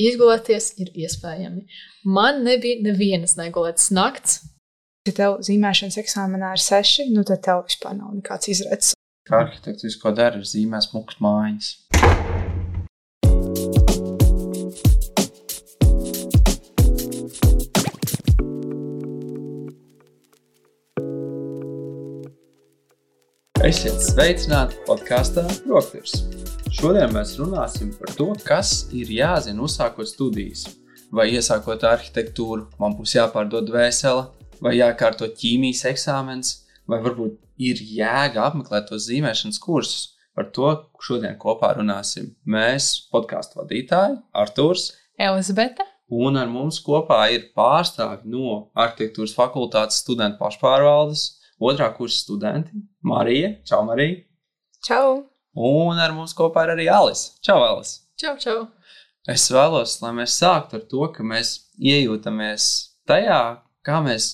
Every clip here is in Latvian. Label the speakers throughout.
Speaker 1: izgulēties ir iespējami. Man nebija nevienas negulētas nakts.
Speaker 2: Ja tev zīmēšanas eksāmenā ir 6, nu tad tev vispār nav nekāds izredzes.
Speaker 3: Kā arhitekts visu, ko dara, ir zīmē smukas mājas. Esiet sveicināti podkāstā Rokturis. Šodien mēs runāsim par to, kas ir jāzina uzsākot studijas. Vai iesākot arhitektūru, man būs jāpārdod dvēsele, vai jākārto ķīmijas eksāmens, vai varbūt ir jēga apmeklēt tos zīmēšanas kursus. Par to šodien kopā runāsim. Mēs, podkāstu vadītāji, Arturs,
Speaker 1: Elizabete.
Speaker 3: Un ar mums kopā ir pārstāvi no arhitektūras fakultātes studentu pašpārvaldes, otrā kursa studenti, Marija. Čau, Marija.
Speaker 2: Čau.
Speaker 3: Un ar mums kopā ir arī Alis. Čau, Alis.
Speaker 1: Čau, čau.
Speaker 3: Es vēlos, lai mēs sāktu ar to, ka mēs iejūtamies tajā, kā mēs,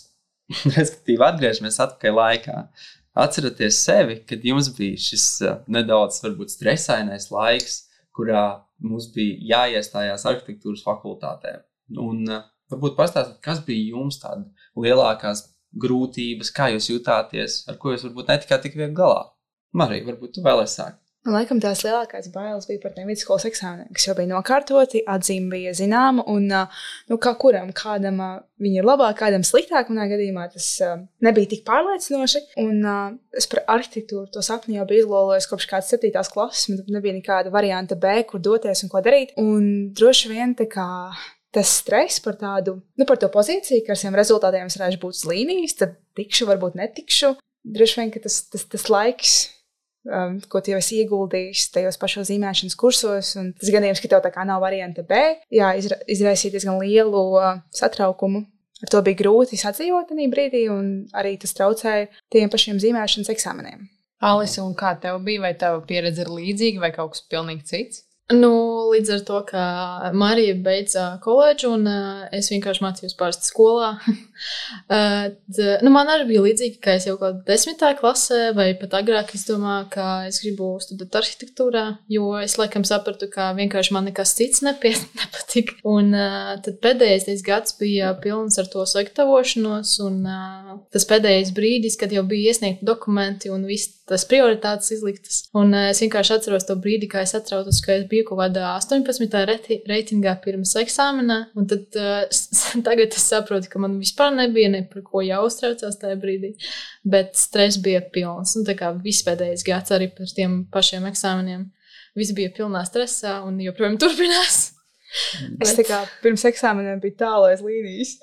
Speaker 3: respektīvi, atgriežamies atpakaļ laikā. Atceraties sevi, kad jums bija šis nedaudz, varbūt, stresainais laiks, kurā mums bija jāiestājās arhitektūras fakultātē. Un varbūt pastāstīt, kas bija jums tāda lielākās grūtības, kā jūs jutāties, ar ko jūs varbūt netikāt tik viegli galā. Marija, varbūt tu vēlēs sākt.
Speaker 2: Laikam tās lielākās bailes bija par tiem vidusskolas eksāmeniem, kas jau bija nokārtoti, atzīme bija zināma, un kā kuram, kādam viņi ir labāk, kādam sliktāk, manā gadījumā tas nebija tik pārliecinoši, un es par arhitektūru to sapni jau biju izlolojis kopš kādas 7. klases, man nebija nekāda varianta B, kur doties un ko darīt, un droši vien tā kā tas stress par tādu, par to pozīciju, ka ar saviem rezultātiem es varēšu būt uz līnijas, tad tikšu, varbūt netikšu, droši vien, ka tas laiks, ko tu jau esi ieguldījis tajos pašos zīmēšanas kursos, un tas gadījums, ka tev tā kā nav varianta B, izraisīja diezgan lielu satraukumu. Ar to bija grūti sadzīvot tajā brīdī, un arī tas traucēja tiem pašiem zīmēšanas eksāmeniem.
Speaker 1: Alise, un kā tev bija? Vai tava pieredze ir līdzīga vai kaut kas pilnīgi cits? Līdz ar to, ka Marija beidza koledžu un es vienkārši mācījos parasti skolā. Man arī bija līdzīgi, ka es jau kaut 10. klasē vai pat agrāk es domāju, ka es gribu studēt arhitektūrā, jo es laikam sapratu, ka vienkārši man nekas cits nepatika. Un tad pēdējais gads bija pilns ar to sagatavošanos un tas pēdējais brīdis, kad jau bija iesniegti dokumenti un viss tas prioritātes izliktas. Un es vienkārši atceros to brīdi, kā es atrautos, ka es biju kaut kādā 18. reitingā pirms eksāmenā, un tad tagad es saprotu, ka man vispār nebija ne par ko jāuztraucās tajā brīdī, bet stress bija pilns, un tā kā viss pēdējais gads arī par tiem pašiem eksāmeniem. Viss bija pilnā stresā un joprojām turpinās.
Speaker 2: Es tā kā pirms eksāmeniem biju tālu aiz līnijas,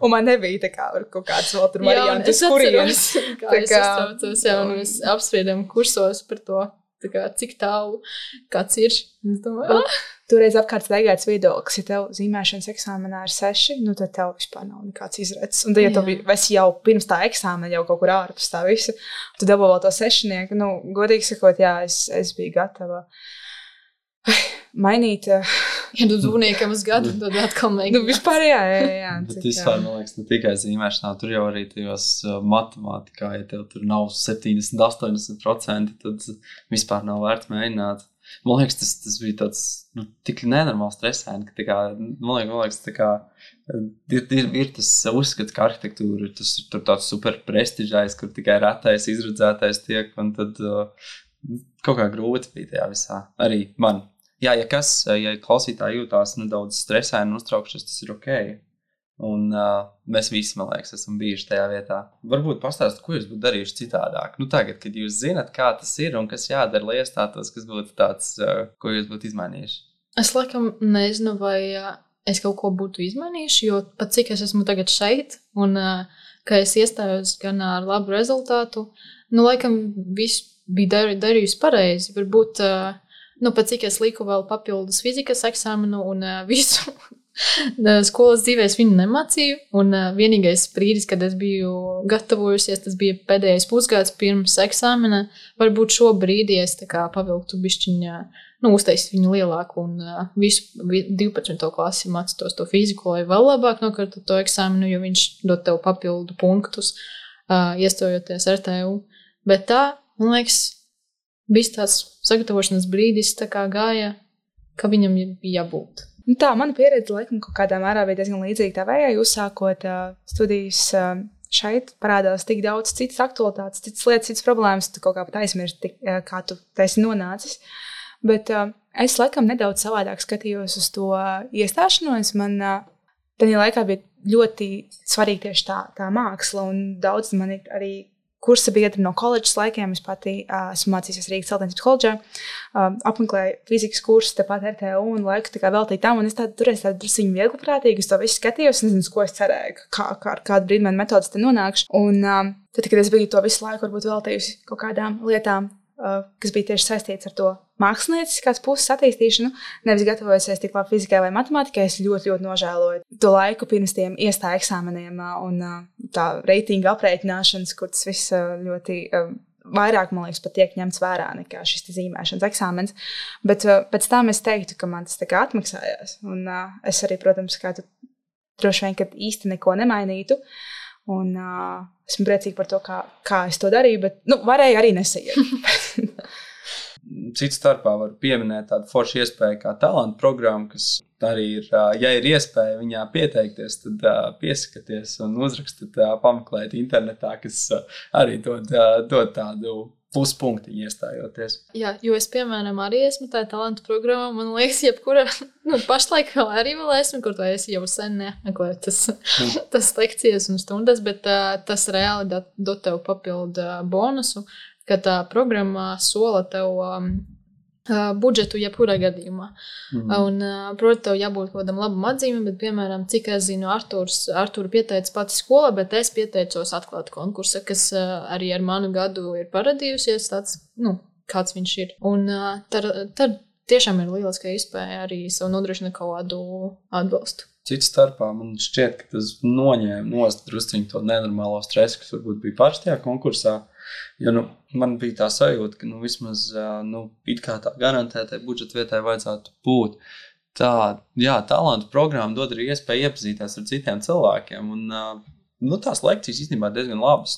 Speaker 2: un man nebija tā kā kaut kāds vēl tur variantus, kurienes.
Speaker 1: Kā es uztraucos, un mēs apspriedām kursos par to, tā kā cik tālu kāds ir. Es domāju,
Speaker 2: Toreiz apkārt staigāts viedoklis, ja tev zīmēšanas eksāmenā ir 6, nu tad tev vispār nav nekāds izredzes. Un tad, ja tu esi jau pirms tā eksāmena jau kaut kur ārpus tā visa, tu dabū vēl to 6, godīgi sakot, jā, es biju gatava mainīt.
Speaker 1: Ja tu zvuniekam uz gadu, tad atkal mēģināt.
Speaker 2: Vispār jā.
Speaker 3: Bet vispār, man liekas, ne tikai zīmēšanā, tur jau arī tajos matemātikā, ja tev tur nav 70-80%, tad vispār nav vērts mēģināt. Man liekas, tas bija tāds, tik nenormāli stresaini, ka tā kā, man liekas, tā kā, ir tas uzskats, ka arhitektūra, tas ir tur tāds super prestižais, kur tikai retais, izredzētais tiek, un tad kaut kā grūti bija tajā visā. Arī man. Jā, ja klausītāji jūtās nedaudz stresaini un uztraukšies, tas ir ok. Un mēs visi, man liekas, esam bijuši tajā vietā. Varbūt pastāst, ko jūs būtu darījuši citādāk. Tagad, kad jūs zinat, kā tas ir un kas jādara, lai iestātos, kas būtu tāds, ko jūs būtu izmainījuši?
Speaker 1: Es laikam nezinu, vai es kaut ko būtu izmainījuši, jo pat cik es esmu tagad šeit un ka es iestājos gan ar labu rezultātu, laikam viss bija darījusi pareizi. Varbūt pat cik es liku vēl papildus fizikas eksāmenu un visu skolas dzīvēs viņu nemācīju, un vienīgais brīdis, kad es biju gatavojusies, tas bija pēdējais pusgads pirms eksāmena. Varbūt šo brīdi es tā kā pavilktu bišķiņā, uztaisīt viņu lielāku un visu 12. klasi mācītos to fiziku, lai vēl labāk nokārtu to eksāmenu, jo viņš dod tev papildu punktus, iestojoties RTU. Bet tā, man liekas, viss tāds sagatavošanas brīdis tā kā gāja, ka viņam bija jābūt.
Speaker 2: Tā, mana pieredze laikam kaut kādā mērā bija diezgan līdzīga tavējai, uzsākot studijas šeit parādās tik daudz citas aktualitātes, citas lietas, citas problēmas, tu kaut kā pat aizmirsti, kā tu esi nonācis. Bet es laikam nedaudz savādāk skatījos uz to iestāšanos. Man tajā laikā bija ļoti svarīga tieši tā māksla, un daudz man ir arī kursa biedri no koledžas laikiem. Es pati esmu mācījusies Rīgas celtniecības koledžā, apmeklēju fizikas kursu tepat RTU un laiku tā kā veltīju tam, un es toreiz tādu drusciņu viegliprātīgi uz to visu skatījos, nezinu, uz ko es cerēju, ar kādu brīdi man metodas te nonākšu. Un tad, kad es biju to visu laiku varbūt veltījusi kaut kādām lietām, kas bija tieši saistīts ar to mākslinieckās puses attīstīšanu, nevis gatavojusies tik labi fizikai vai matemātikai, es ļoti, ļoti nožēloju to laiku pirms tiem iestāju eksāmeniem un tā reitinga aprēķināšanas, kur tas viss ļoti vairāk, man liekas, pat tiek ņemts vērā nekā šis zīmēšanas eksāmens. Bet pēc tam es teiktu, ka man tas tā kā atmaksājās. Un es arī, protams, kā tu droši vien, kad īsti neko nemainītu. Un esmu priecīga par to, kā es to darīju, bet varēju arī nesaiet.
Speaker 3: Cits starpā var pieminēt tādu foršu iespēju kā talantu programmu, kas arī ir, ja ir iespēja viņā pieteikties, tad piesakaties un uzrakstiet, pameklēt internetā, kas arī dod tādu pluspunktiņu iestājoties. Jā,
Speaker 1: jo es, piemēram, arī esmu tā talantu programmā, man liekas, jebkura, pašlaik arī vēl esmu, kur to es jau sen neapmeklēju tas lekcijas un stundas, bet tas reāli dod tev papildu bonusu, ka tā programma sola tev budžetu jebkurā gadījumā. Un, proti, tev jābūt kaut kādam labam atzīmēm, bet, piemēram, cik es zinu, Arturu pieteica pati skola, bet es pieteicos atklāt konkursa, kas arī ar manu gadu ir paradījusies, tāds, kāds viņš ir. Un tad tiešām ir lieliska iespēja arī sev nodrošināt kaut kādu atbalstu.
Speaker 3: Cits starpā man šķiet, ka tas noņēma nost drusciņu to nenormālo stresu, kas varbūt bija parastajā konkursā. Jo man bija tā sajūta, ka vismaz it kā tā garantētai budžeta vietai vajadzētu būt. Talantu programma dod arī iespēju iepazīties ar citiem cilvēkiem. Un tās lekcijas īstenībā diezgan labas.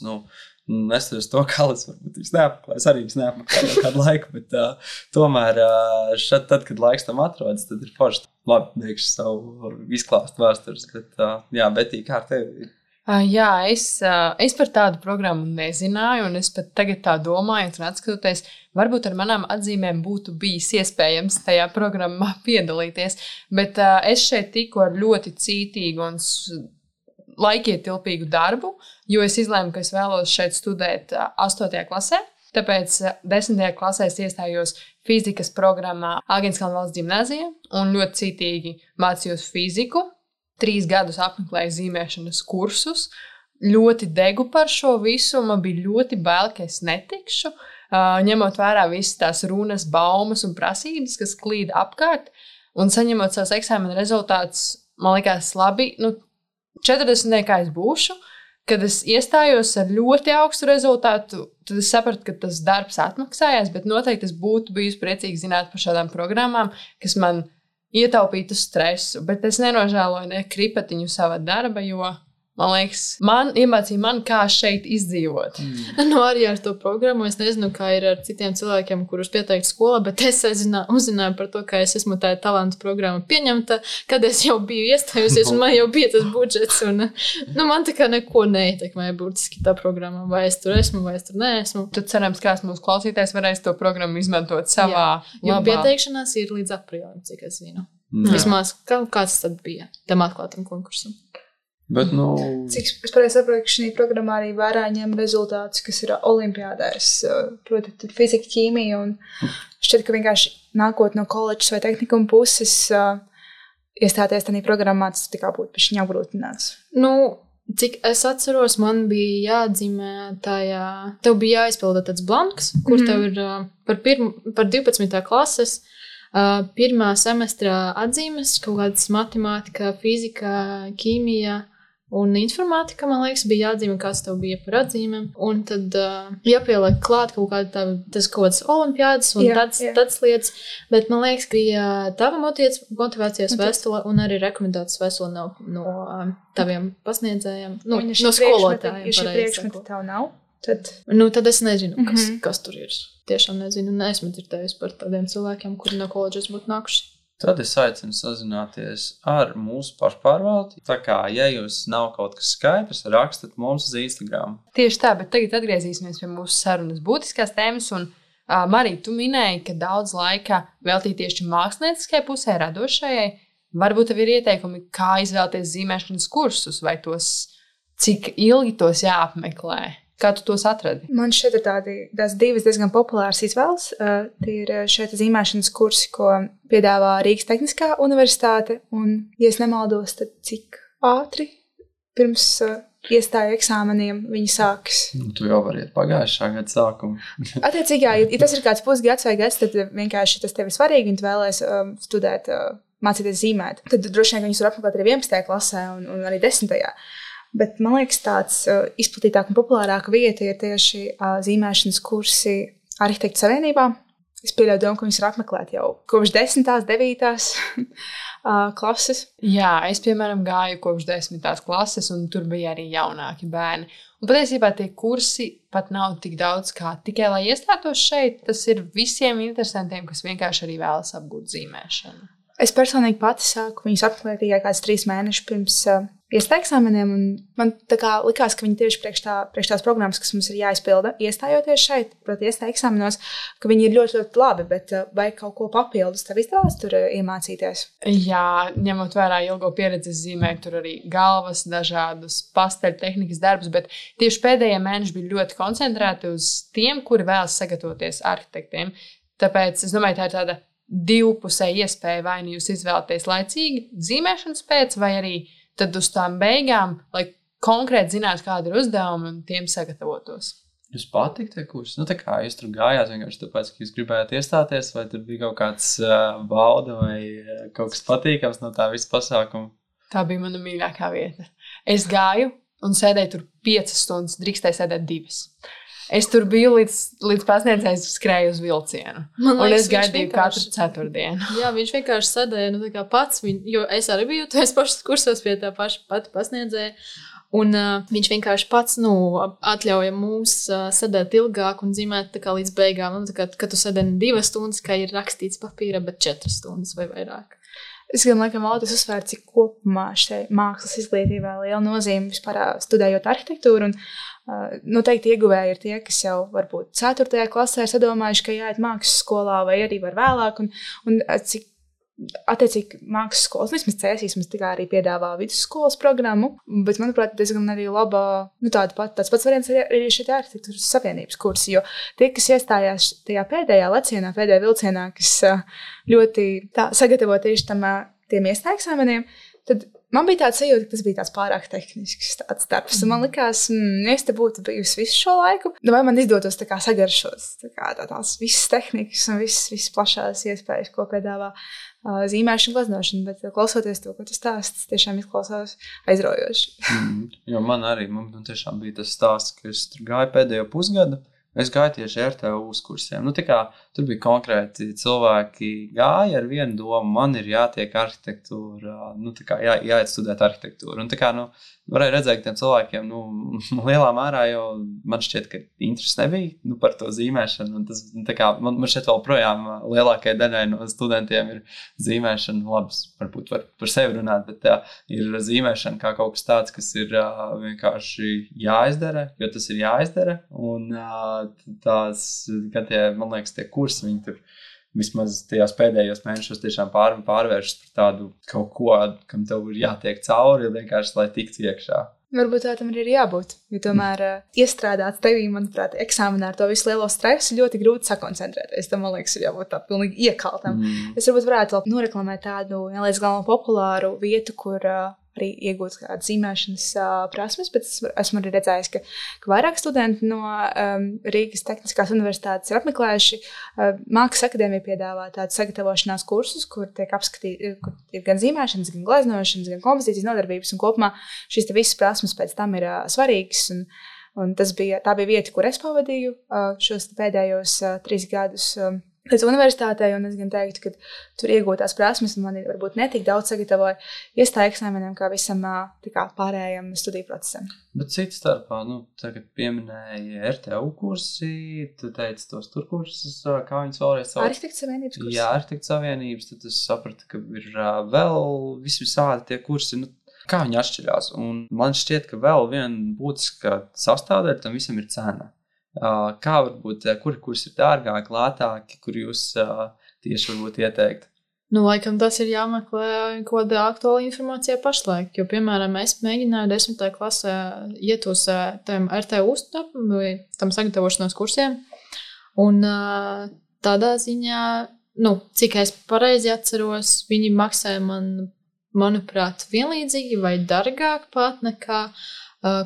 Speaker 3: Neskatoties to, kā es varbūt viņas neapmeklēju, es arī viņas neapmeklēju kādu laiku, bet tomēr tad, kad laiks tam atrodas, tad ir forši labi beigšu savu izklāstu vēstures. Bet Betī, kā ar tevi?
Speaker 4: Jā, es par tādu programmu nezināju, un es pat tagad tā domāju, un atskatoties, varbūt ar manām atzīmēm būtu bijis iespējams tajā programmā piedalīties, bet es šeit tiku ar ļoti cītīgu un laikietilpīgu darbu, jo es izlēmu, ka es vēlos šeit studēt 8. klasē, tāpēc 10. klasē es iestājos fizikas programmā Āgenskalna valsts ģimnāzijā un ļoti cītīgi mācījos fiziku. 3 gadus apmeklēju zīmēšanas kursus, ļoti degu par šo visu, man bija ļoti bail, ka es netikšu, ņemot vērā visas tās runas, baumas un prasības, kas klīd apkārt, un saņemot savus eksāmena rezultātus, man likās labi, 40. kā es būšu, kad es iestājos ar ļoti augstu rezultātu, tad es sapratu, ka tas darbs atmaksājās, bet noteikti es būtu bijusi priecīgi zināt par šādām programmām, kas man ietaupītu stresu, bet es nenožēloju ne kripatiņu sava darba, jo, man liekas, iemācīja man, kā šeit izdzīvot.
Speaker 1: Arī ar to programmu, es nezinu, kā ir ar citiem cilvēkiem, kurus pieteikt skolā, bet es uzzināju par to, ka es esmu tā talantu programma pieņemta, kad es jau biju iestājusies, un man jau bija tas budžets, un man tā kā neko neietekmēja būtiski tā programma, vai es tur esmu, vai es tur neesmu.
Speaker 4: Tad cerams, kāds mūsu klausītājs varēs to programmu izmantot savā
Speaker 1: jo pieteikšanās ir līdz aprīlim, cik es zinu. Vismaz, kāds tad bija tam atklātam konkursam.
Speaker 3: Bet,
Speaker 2: Cik es pareizi saprotu, ka šī programmā arī vērā ņem rezultātus, kas ir olimpiādēs, proti, tur fizika, ķīmija, un šķiet, ka vienkārši nākot no koledžas vai tehnikuma puses, iestāties tādā programmā, tas tā kā būtu pišķiņ apgrūtināts.
Speaker 1: Cik es atceros, man bija jāatzīmē tev bija jāizpilda tāds blanks, kur tev ir par 12. klases, pirmā semestra atzīmes, kaut kādas matemātika, fizika, ķīmija un informātika, man liekas, bija jāatzīmē, kāds tev bija par atzīmēm. Un tad jāpieliek klāt kaut kādas olimpiādas un tāds lietas. Bet man liekas, bija tava motivācijas vēstule un arī rekomendācijas vēstule no taviem pasniedzējiem, no skolotājiem.
Speaker 2: Ja šie priekšmeti tev nav, tad
Speaker 1: es nezinu, kas tur ir. Tiešām nezinu, neesmu dzirdējusi par tādiem cilvēkiem, kuri no koledžas būtu nākuši.
Speaker 3: Tad es aicinu sazināties ar mūsu pašpārvaldi. Tā kā, ja jūs nav kaut kas skaidrs, rakstat mums uz Instagram.
Speaker 4: Tieši tā, bet tagad atgriezīsimies pie mūsu sarunas būtiskās tēmas. Un, Marija, tu minēji, ka daudz laika veltīt tieši mākslinieciskai pusē, radošajai. Varbūt tev ir ieteikumi, kā izvēlēties zīmēšanas kursus, vai cik ilgi tos jāapmeklē. Kā tu tos atradi?
Speaker 2: Man šeit ir tās divas diezgan populāras izvēles. Tie ir šeit zīmēšanas kursi, ko piedāvā Rīgas Tehniskā universitāte. Un, ja es nemaldos, tad cik ātri pirms iestāju eksāmeniem viņi sākas.
Speaker 3: Tu jau vari iet pagājušā gada sākumu.
Speaker 2: Attiecīgi, ja tas ir kāds pusgads vai gads, tad vienkārši tas tev ir svarīgi un tu vēlēs studēt, mācīties zīmēt. Tad droši vien, ka viņus var apmeklēt arī 11. klasē un arī 10. Bet man liekas, tāds izplatītāk un populārāka vieta ir tieši zīmēšanas kursi Arhitektu savienībā. Es pieļauju domu, ka viņus var apmeklēt jau kopš 10., 9. klases.
Speaker 4: Jā, es, piemēram, gāju kopš 10. klases, un tur bija arī jaunāki bērni. Un patiesībā tie kursi pat nav tik daudz kā tikai, lai iestātos šeit. Tas ir visiem interesantiem, kas vienkārši arī vēlas apgūt zīmēšanu.
Speaker 2: Es personīgi pati sāku viņus apmeklēt tikai kāds 3 mēnešus pirms iestāju eksāmeniem, un man tā kā likās, ka viņi tieši priekš tās programmas, kas mums ir jāizpilda, iestājoties šeit, proti iestāju eksāmenos, ka viņi ir ļoti, ļoti labi, bet vai kaut ko papildus tev izdevās tur iemācīties?
Speaker 4: Jā, ņemot vērā ilgo pieredzi, zīmēju tur arī galvas, dažādus pasteļu tehnikas darbus, bet tieši pēdējie mēneši bija ļoti koncentrēti uz tiem, kuri vēlas sagatavoties arhitektiem. Tāpēc es domāju, tā ir tāda divpusēja iespēja, vai nu jūs izvēlaties laicīgi zīmēšanas pēc, vai arī tad uz tām beigām, lai konkrēti zinātu, kāda ir uzdevuma un tiem sagatavotos.
Speaker 3: Jūs patīk tie kursi? Tā kā jūs tur gājāt vienkārši tāpēc, ka jūs gribējāt iestāties, vai tur bija kaut kāds bauda vai kaut kas patīkams no tā visa pasākuma?
Speaker 4: Tā bija mana mīļākā vieta. Es gāju un sēdēju tur 5 stundas, drīkstēju sēdēt 2. Es tur biju līdz pasniedzējs skrēju uz vilcienu. Man liekas, un es gaidīju katru ceturtdienu.
Speaker 1: Jā, viņš vienkārši sēdēja tā kā pats, jo es arī biju tais pašas kursos pie tā pati pasniedzēja. Un viņš vienkārši pats atļauja mums sēdēt ilgāk un zīmēt tā kā līdz beigām. Kad tu sēdēji 2 stundas, kā ir rakstīts papīra, bet 4 stundas vai vairāk.
Speaker 2: Es gan laikam vēlētos uzsvērt, cik kopumā šai mākslas izglītībā liela nozīme vispār studējot arhitektūru. Un noteikti ieguvēji ir tie, kas jau varbūt 4. klasē ir sadomājuši, ka jāiet mākslas skolā vai arī var vēlāk. Un cik attiecīgi mākslas skolas, vismaz Cēsīs, tā kā arī piedāvā vidusskolas programmu, bet, manuprāt, diezgan arī laba, tāds pats variants arī šeit arhitektūras savienības kursi, jo tie, kas iestājās tajā pēdējā lecienā, pēdējā vilcienā, kas ļoti sagatavo tieši tiem iestāju eksāmeniem, tad man bija tāds sajūta, ka tas bija tāds pārāk tehnisks darbs. Un man likās, ja es te būtu bijusi visu šo laiku, vai man izdotos sagaršot tās visas tehnikas un visas plašās iespējas, ko piedāvā zīmēšana, gleznošana, bet klausoties to, ko tu stāsti, tiešām izklausās aizraujoši.
Speaker 3: Jo man tiešām bija tas stāsts, ka es tur gāju pēdējo pusgadu. Es gāju tieši RTU kursiem. Tur bija konkrēti cilvēki gāja ar vienu domu, man ir jātiek arhitektūra, jāiet studēt arhitektūru. Un varēja redzēt, ka tiem cilvēkiem, lielā mērā jau man šķiet, ka interesi nebija par to zīmēšanu. Un tas, man šķiet vēl projām lielākajai daļai no studentiem ir zīmēšana, labs, varbūt var par sevi runāt, bet ir zīmēšana kā kaut kas tāds, kas ir vienkārši jāizdara, jo tas ir jāizdara. Un man liekas, tie kursi, viņi tur vismaz tajās pēdējos mēnešos tiešām pārvēršas par tādu kaut ko, kam tev ir jātiek cauri, vienkārši, lai tiktu iekšā.
Speaker 2: Varbūt tā tam ir jābūt, jo tomēr iestrādāts tevī, manuprāt, eksāmenā ar to visu lielo stresu ļoti grūti sakoncentrēties. Tam, man liekas, ir jābūt tā pilnīgi iekaltam. Es varbūt varētu vēl noreklamēt tādu, nelaiz galvā populāru vietu, kur arī iegūt kādu zīmēšanas prasmes, bet esmu arī redzējis, ka vairāk studenti no Rīgas Tehniskās universitātes ir apmeklējuši. Mākslas akadēmija piedāvā tādus sagatavošanās kursus, kur tiek apskatīti, kur ir gan zīmēšanas, gan gleznošanas, gan kompozīcijas nodarbības, un kopumā šīs visas prasmes pēc tam ir svarīgas. Un tā bija vieta, kur es pavadīju šos pēdējos 3 gadus līdz universitātei, un es gan teiktu, ka tur iegūtās prasmes, un man varbūt netik daudz sagatavoja iestāju eksāmeniem, kā visam tā kā pārējiem studiju procesam.
Speaker 3: Bet cits starpā, tagad pieminēja RTU kursi, tu teici tos tur kursus, kā viņas vēlreiz sauc?
Speaker 2: Arhitektu savienības kursi.
Speaker 3: Jā, Arhitektu savienības, tad es sapratu, ka ir vēl visādi tie kursi, kā viņi atšķirās. Un man šķiet, ka vēl viena būtiska sastāvdaļa tam visam ir cena. Kā varbūt, kuri kursi ir dārgāki, lētāki, kur jūs tieši varbūt ieteikt?
Speaker 1: Laikam tas ir jāmeklē kaut kāda aktuāla informācija pašlaik, jo, piemēram, es mēģināju 10. klasē iet uz tam RTU vai tam sagatavošanās kursiem, un tādā ziņā, cik es pareizi atceros, viņi maksāja manuprāt, vienlīdzīgi vai dārgāk pat nekā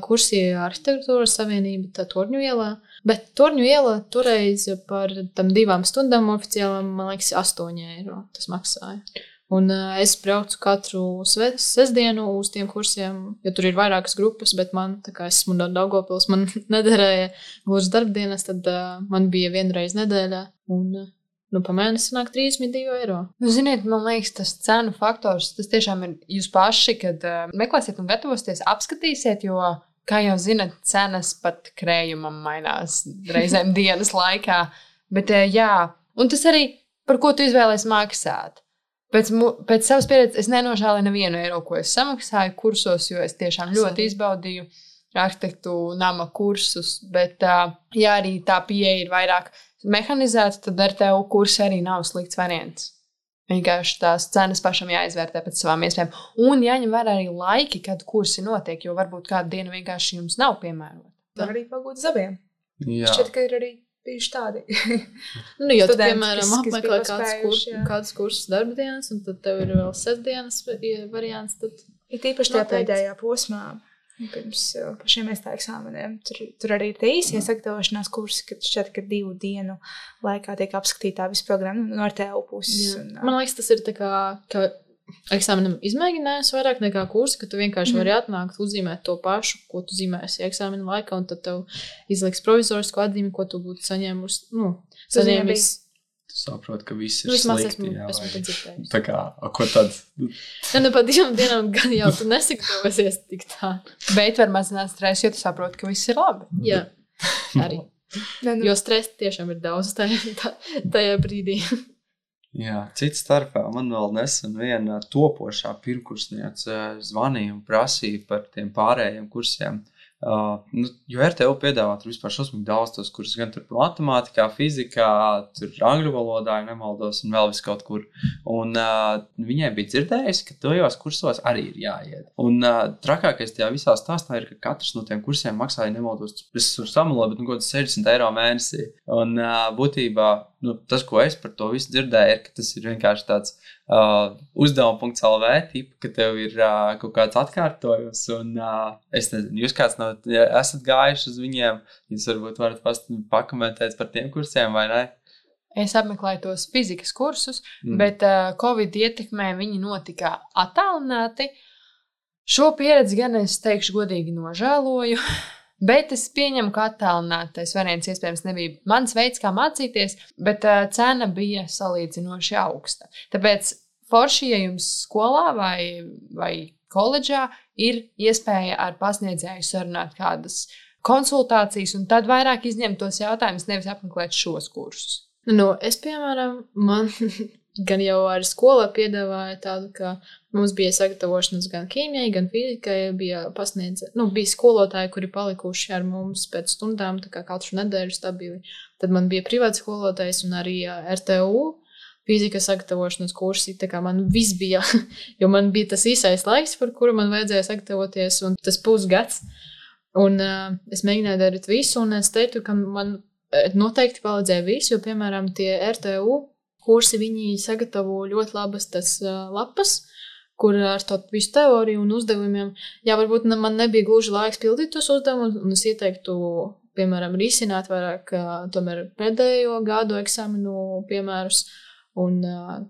Speaker 1: kursi Arhitektūras savienība Torņu ielā. Bet Torņu iela toreiz par tam 2 stundām oficiālām, man liekas, 8 eiro tas maksāja. Un es braucu katru sestdienu uz tiem kursiem, jo tur ir vairākas grupas, bet man, tā kā es esmu no Daugavpils, man nederēja gluži darbdienas, tad man bija vienreiz nedēļā. Un pa mēnesi sanāk 32 eiro.
Speaker 4: Ziniet, man liekas, tas cenu faktors, tas tiešām ir jūs paši, kad meklēsiet un gatavosieties, apskatīsiet, jo, kā jau zinat, cenas pat krējumam mainās reizēm dienas laikā. Bet jā, un tas arī, par ko tu izvēlēs maksāt. Pēc savas pieredzes es nenožēlēju nevienu eiro, ko es samaksāju kursos, jo es tiešām ļoti izbaudīju arhitektu nama kursus. Bet, ja arī tā pieeja ir vairāk mehanizēta, tad ar tevu kursu arī nav slikts variants. Vienkārši tās cenas pašam jāizvērtē pēc savām iespējām. Un jāņem vērā arī laiki, kad kursi notiek, jo varbūt kāda diena vienkārši jums nav piemērota.
Speaker 2: Var arī pagūt zabiem.
Speaker 3: Jā.
Speaker 2: Šķiet, ka ir arī bijuši tādi.
Speaker 1: Jo tu, piemēram, apmeklē kādas kursus darba dienas, un tad tev ir vēl sestdienas variants. Tad
Speaker 2: ir tīpaši tajā pēdējā posmā, pirms pašiem iestāju eksāmeniem. Tur arī ir tie īsie sagatavošanās kursi, kad šķiet, ka 2 dienu laikā tiek apskatītā visa programma no RTU puses.
Speaker 1: Man liekas, tas ir tā kā eksāmenam izmēģinājums vairāk nekā kursi, ka tu vienkārši vari atnākt, uzzīmēt to pašu, ko tu zīmēsi eksāmena laikā, un tad tev izliks provizorisku atzīmi, ko tu būtu saņēmis.
Speaker 3: Tu saproti, ka viss ir slikti.
Speaker 1: Esmu dzirdējis.
Speaker 3: Tā kā, ko tad?
Speaker 1: Pa 2 dienām gan jau tu nesagatavosies tik tā.
Speaker 4: Bet var mazināt stresu, jo tu saproti, ka viss ir labi.
Speaker 1: Jā, arī. Jo stresa tiešām ir daudz tajā brīdī.
Speaker 3: Jā, cits starpā man vēl nesen viena topošā pirmkursniece zvanīja un prasīja par tiem pārējiem kursiem. Jo RTU piedāvā tur vispār šausmīgi daudz tos kursus, gan tur matemātikā, fizikā, tur angļu valodā, ja nemaldos, un vēl vis kaut kur. Un viņai bija dzirdējusi, ka tajos kursos arī ir jāiet. Un trakākais tajā visā stāstā ir, ka katrs no tiem kursiem maksāja, nemaldos, es tur samaloju, bet kaut 60 eiro mēnesī. Un būtībā tas, ko es par to visu dzirdēju, ir, ka tas ir vienkārši tāds uzdevuma.lv tipa, ka tev ir kaut kāds atkārtojums, un es nezinu, jūs kāds esat gājuši uz viņiem, jūs varbūt varat pakomentēt par tiem kursiem, vai ne?
Speaker 4: Es apmeklēju tos fizikas kursus, bet Covid ietekmē viņi notika attālināti. Šo pieredzi gan es teikšu godīgi nožēloju. Bet es pieņemu, ka attālinātais variants iespējams nebija mans veids, kā mācīties, bet cena bija salīdzinoši augsta. Tāpēc forši, ja jums skolā vai koledžā ir iespēja ar pasniedzēju sarunāt kādas konsultācijas un tad vairāk izņemt tos jautājumus, nevis apmeklēt šos kursus.
Speaker 1: Es, piemēram, man gan jau arī skolā piedāvāja tādu, ka mums bija sagatavošanas gan ķīmijai, gan fizikai, bija skolotāji, kuri palikuši ar mums pēc stundām, tā kā katru nedēļu stabili. Tad man bija privāts skolotājs un arī RTU fizikas sagatavošanas kursi, tā kā man viss bija, jo man bija tas īsais laiks, par kuru man vajadzēja sagatavoties, un tas pusgads. Un es mēģināju darīt visu, un es teiktu, ka man noteikti palīdzēja visu, jo, piemēram, tie RTU kursi, viņi sagatavo ļoti labas tas lapas, kur ar to visu teoriju un uzdevumiem. Jā, varbūt man nebija gluži laiks pildīt tos uzdevumus, un es ieteiktu, piemēram, risināt vairāk tomēr pēdējo gadu eksāmenu piemērus un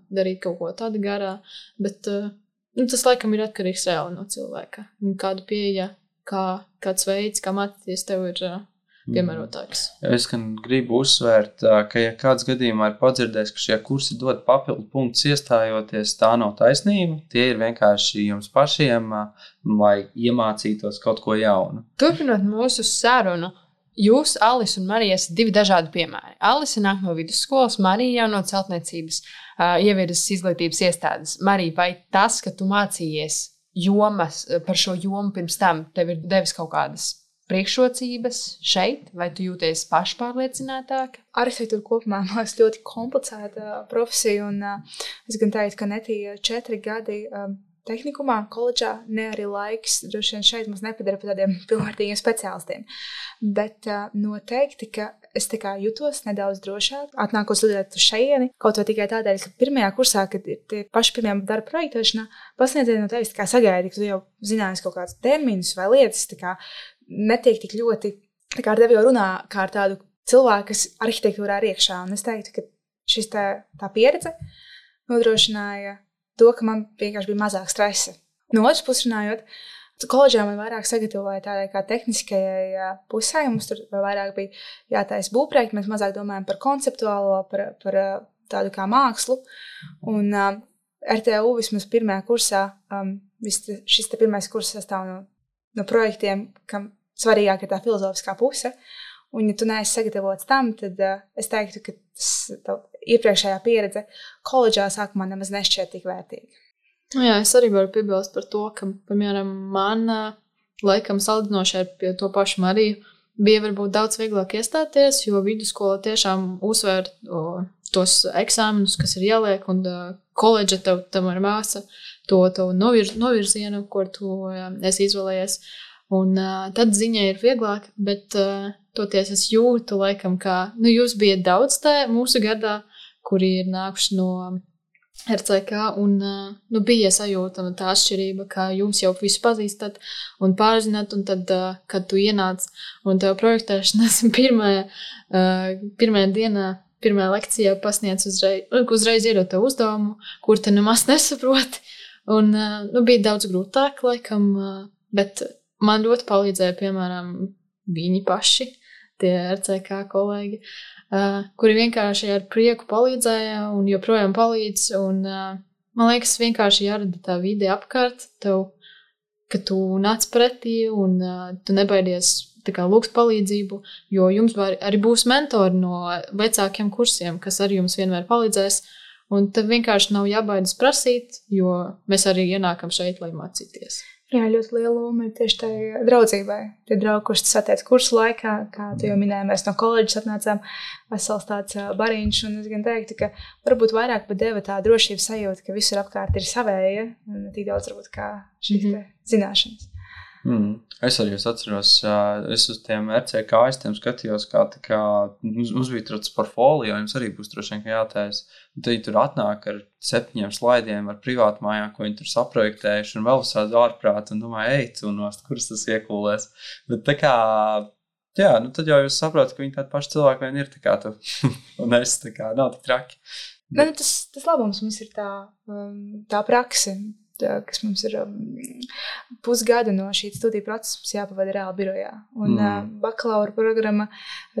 Speaker 1: darīt kaut ko tādu garā. Bet tas laikam ir atkarīgs reāli no cilvēka. Kāda pieeja, kāds veids, kā mācīties, tev ir piemērotāks.
Speaker 3: Es gan gribu uzsvērt, ka, ja kāds gadījumā ir padzirdējis, ka šie kursi dod papildu punktus iestājoties, tā nav taisnība. Tie ir vienkārši jums pašiem, lai iemācītos kaut ko jaunu.
Speaker 4: Turpinot mūsu sarunu, jūs, Alis un Marija, esat divi dažādi piemēri. Alise nāk no vidusskolas, Marija jau no celtniecības ievirzes izglītības iestādes. Marija, vai tas, ka tu mācījies jomas par šo jomu pirms tam, tev ir devis kaut kādas priekšrocības šeit, vai tu jūties pašpārliecinātāk?
Speaker 2: Arhitektūra kopumā, man liekas, ļoti komplicēta profesija, un es gan teiktu, ka ne tie 4 gadi tehnikumā, koledžā, ne arī laiks, droši vien šeit mums nepadara par tādiem pilnvērtīgiem speciālistiem. Bet noteikti, ka es tā kā jutos nedaudz drošāk, atnākot studēt uz šejieni, kaut vai tikai tādēļ, ka pirmajā kursā, kad ir tie paši pirmie darba projektēšanā, pasniedzēji no tevis tā kā sagaidi, ka tu jau zināsi kaut kādus terminus vai lietas, tā kā netiek tik ļoti, tā kā ar tevi jau runā kā ar tādu cilvēku, kas arhitektūrā ir iekšā. Un es teiktu, ka šis tā pieredze nodrošināja to, ka man vienkārši bija mazāk stresa. No otras puses runājot, koledžā man vairāk sagatavoja tādai kā tehniskajai pusē, mums tur vairāk bija jātaisa būvprojekti, mēs mazāk domājam par konceptuālo, par tādu kā mākslu. Un RTU vismaz pirmajā kursā, šis te pirmais kurs sastāv no projektiem, kam svarīgāk ir tā filozofiskā puse. Un, ja tu neesi sagatavots tam, tad es teiktu, ka tā iepriekšējā pieredze koledžā sākumā nemaz nešķiet tik vērtīga.
Speaker 1: Jā, es arī varu piebilst par to, ka, piemēram, man laikam salīdzinoši ar pie to pašu Mariju bija varbūt daudz vieglāk iestāties, jo vidusskola tiešām uzsver tos eksāmenus, kas ir jāliek, un koledža tev ir māca to novirzienu, kur tu esi izvēlējies. Un tad ziņai ir vieglāk, bet toties es jūtu laikam, ka jūs bijat daudz tā mūsu gadā, kuri ir nākuši no RCK, un bija sajūta tā atšķirība, ka jūs jau visu pazīstat un pārzināt, un tad, kad tu ienāc un tev projektēšanas pirmajā dienā, pirmajā lekcijā pasniedz uzreiz iedot tev uzdevumu, kur te nemaz nesaproti, un bija daudz grūtāk laikam, bet man ļoti palīdzēja, piemēram, viņi paši, tie RCK kolēģi, kuri vienkārši ar prieku palīdzēja un joprojām palīdz. Un, man liekas, vienkārši jārada tā vide apkārt tev, ka tu nāc pretī un tu nebaidies tā kā lūgt palīdzību, jo jums arī būs mentori no vecākiem kursiem, kas arī jums vienmēr palīdzēs. Un tev vienkārši nav jābaidas prasīt, jo mēs arī ienākam šeit, lai mācīties.
Speaker 2: Jā, ļoti liela loma ir tieši tai draudzībai. Tie draugi, kurus tu satiec kursu laikā, kā tu jau minēji, mēs no koledžas atnācām vesels tāds bariņš, un es gan teiktu, ka varbūt vairāk pat deva tā drošības sajūta, ka visur apkārt ir savēja, un tik daudz varbūt kā šīs te zināšanas.
Speaker 3: Es arī atceros, es uz tiem RCK aiztiem skatījos, kā mums bija tāds portfolio, jums arī būs droši vien jātais. Un tad tur atnāk ar 7 slaidiem ar privātu mājā, ko viņi tur saprojektējuši, un vēl visādi ārprāt, un domāju, ej, tu nost, kuras tas iekūlēs. Bet tā kā, jā, tad jau jūs saprotat, ka viņi tādi paši cilvēki vien ir, tā kā tu, un es tā kā nav tik traki.
Speaker 2: Tas labums mums ir tā prakse, kas mums ir pusgadu no šī studiju procesa, mums jāpavada reāli birojā. Un bakalaura programma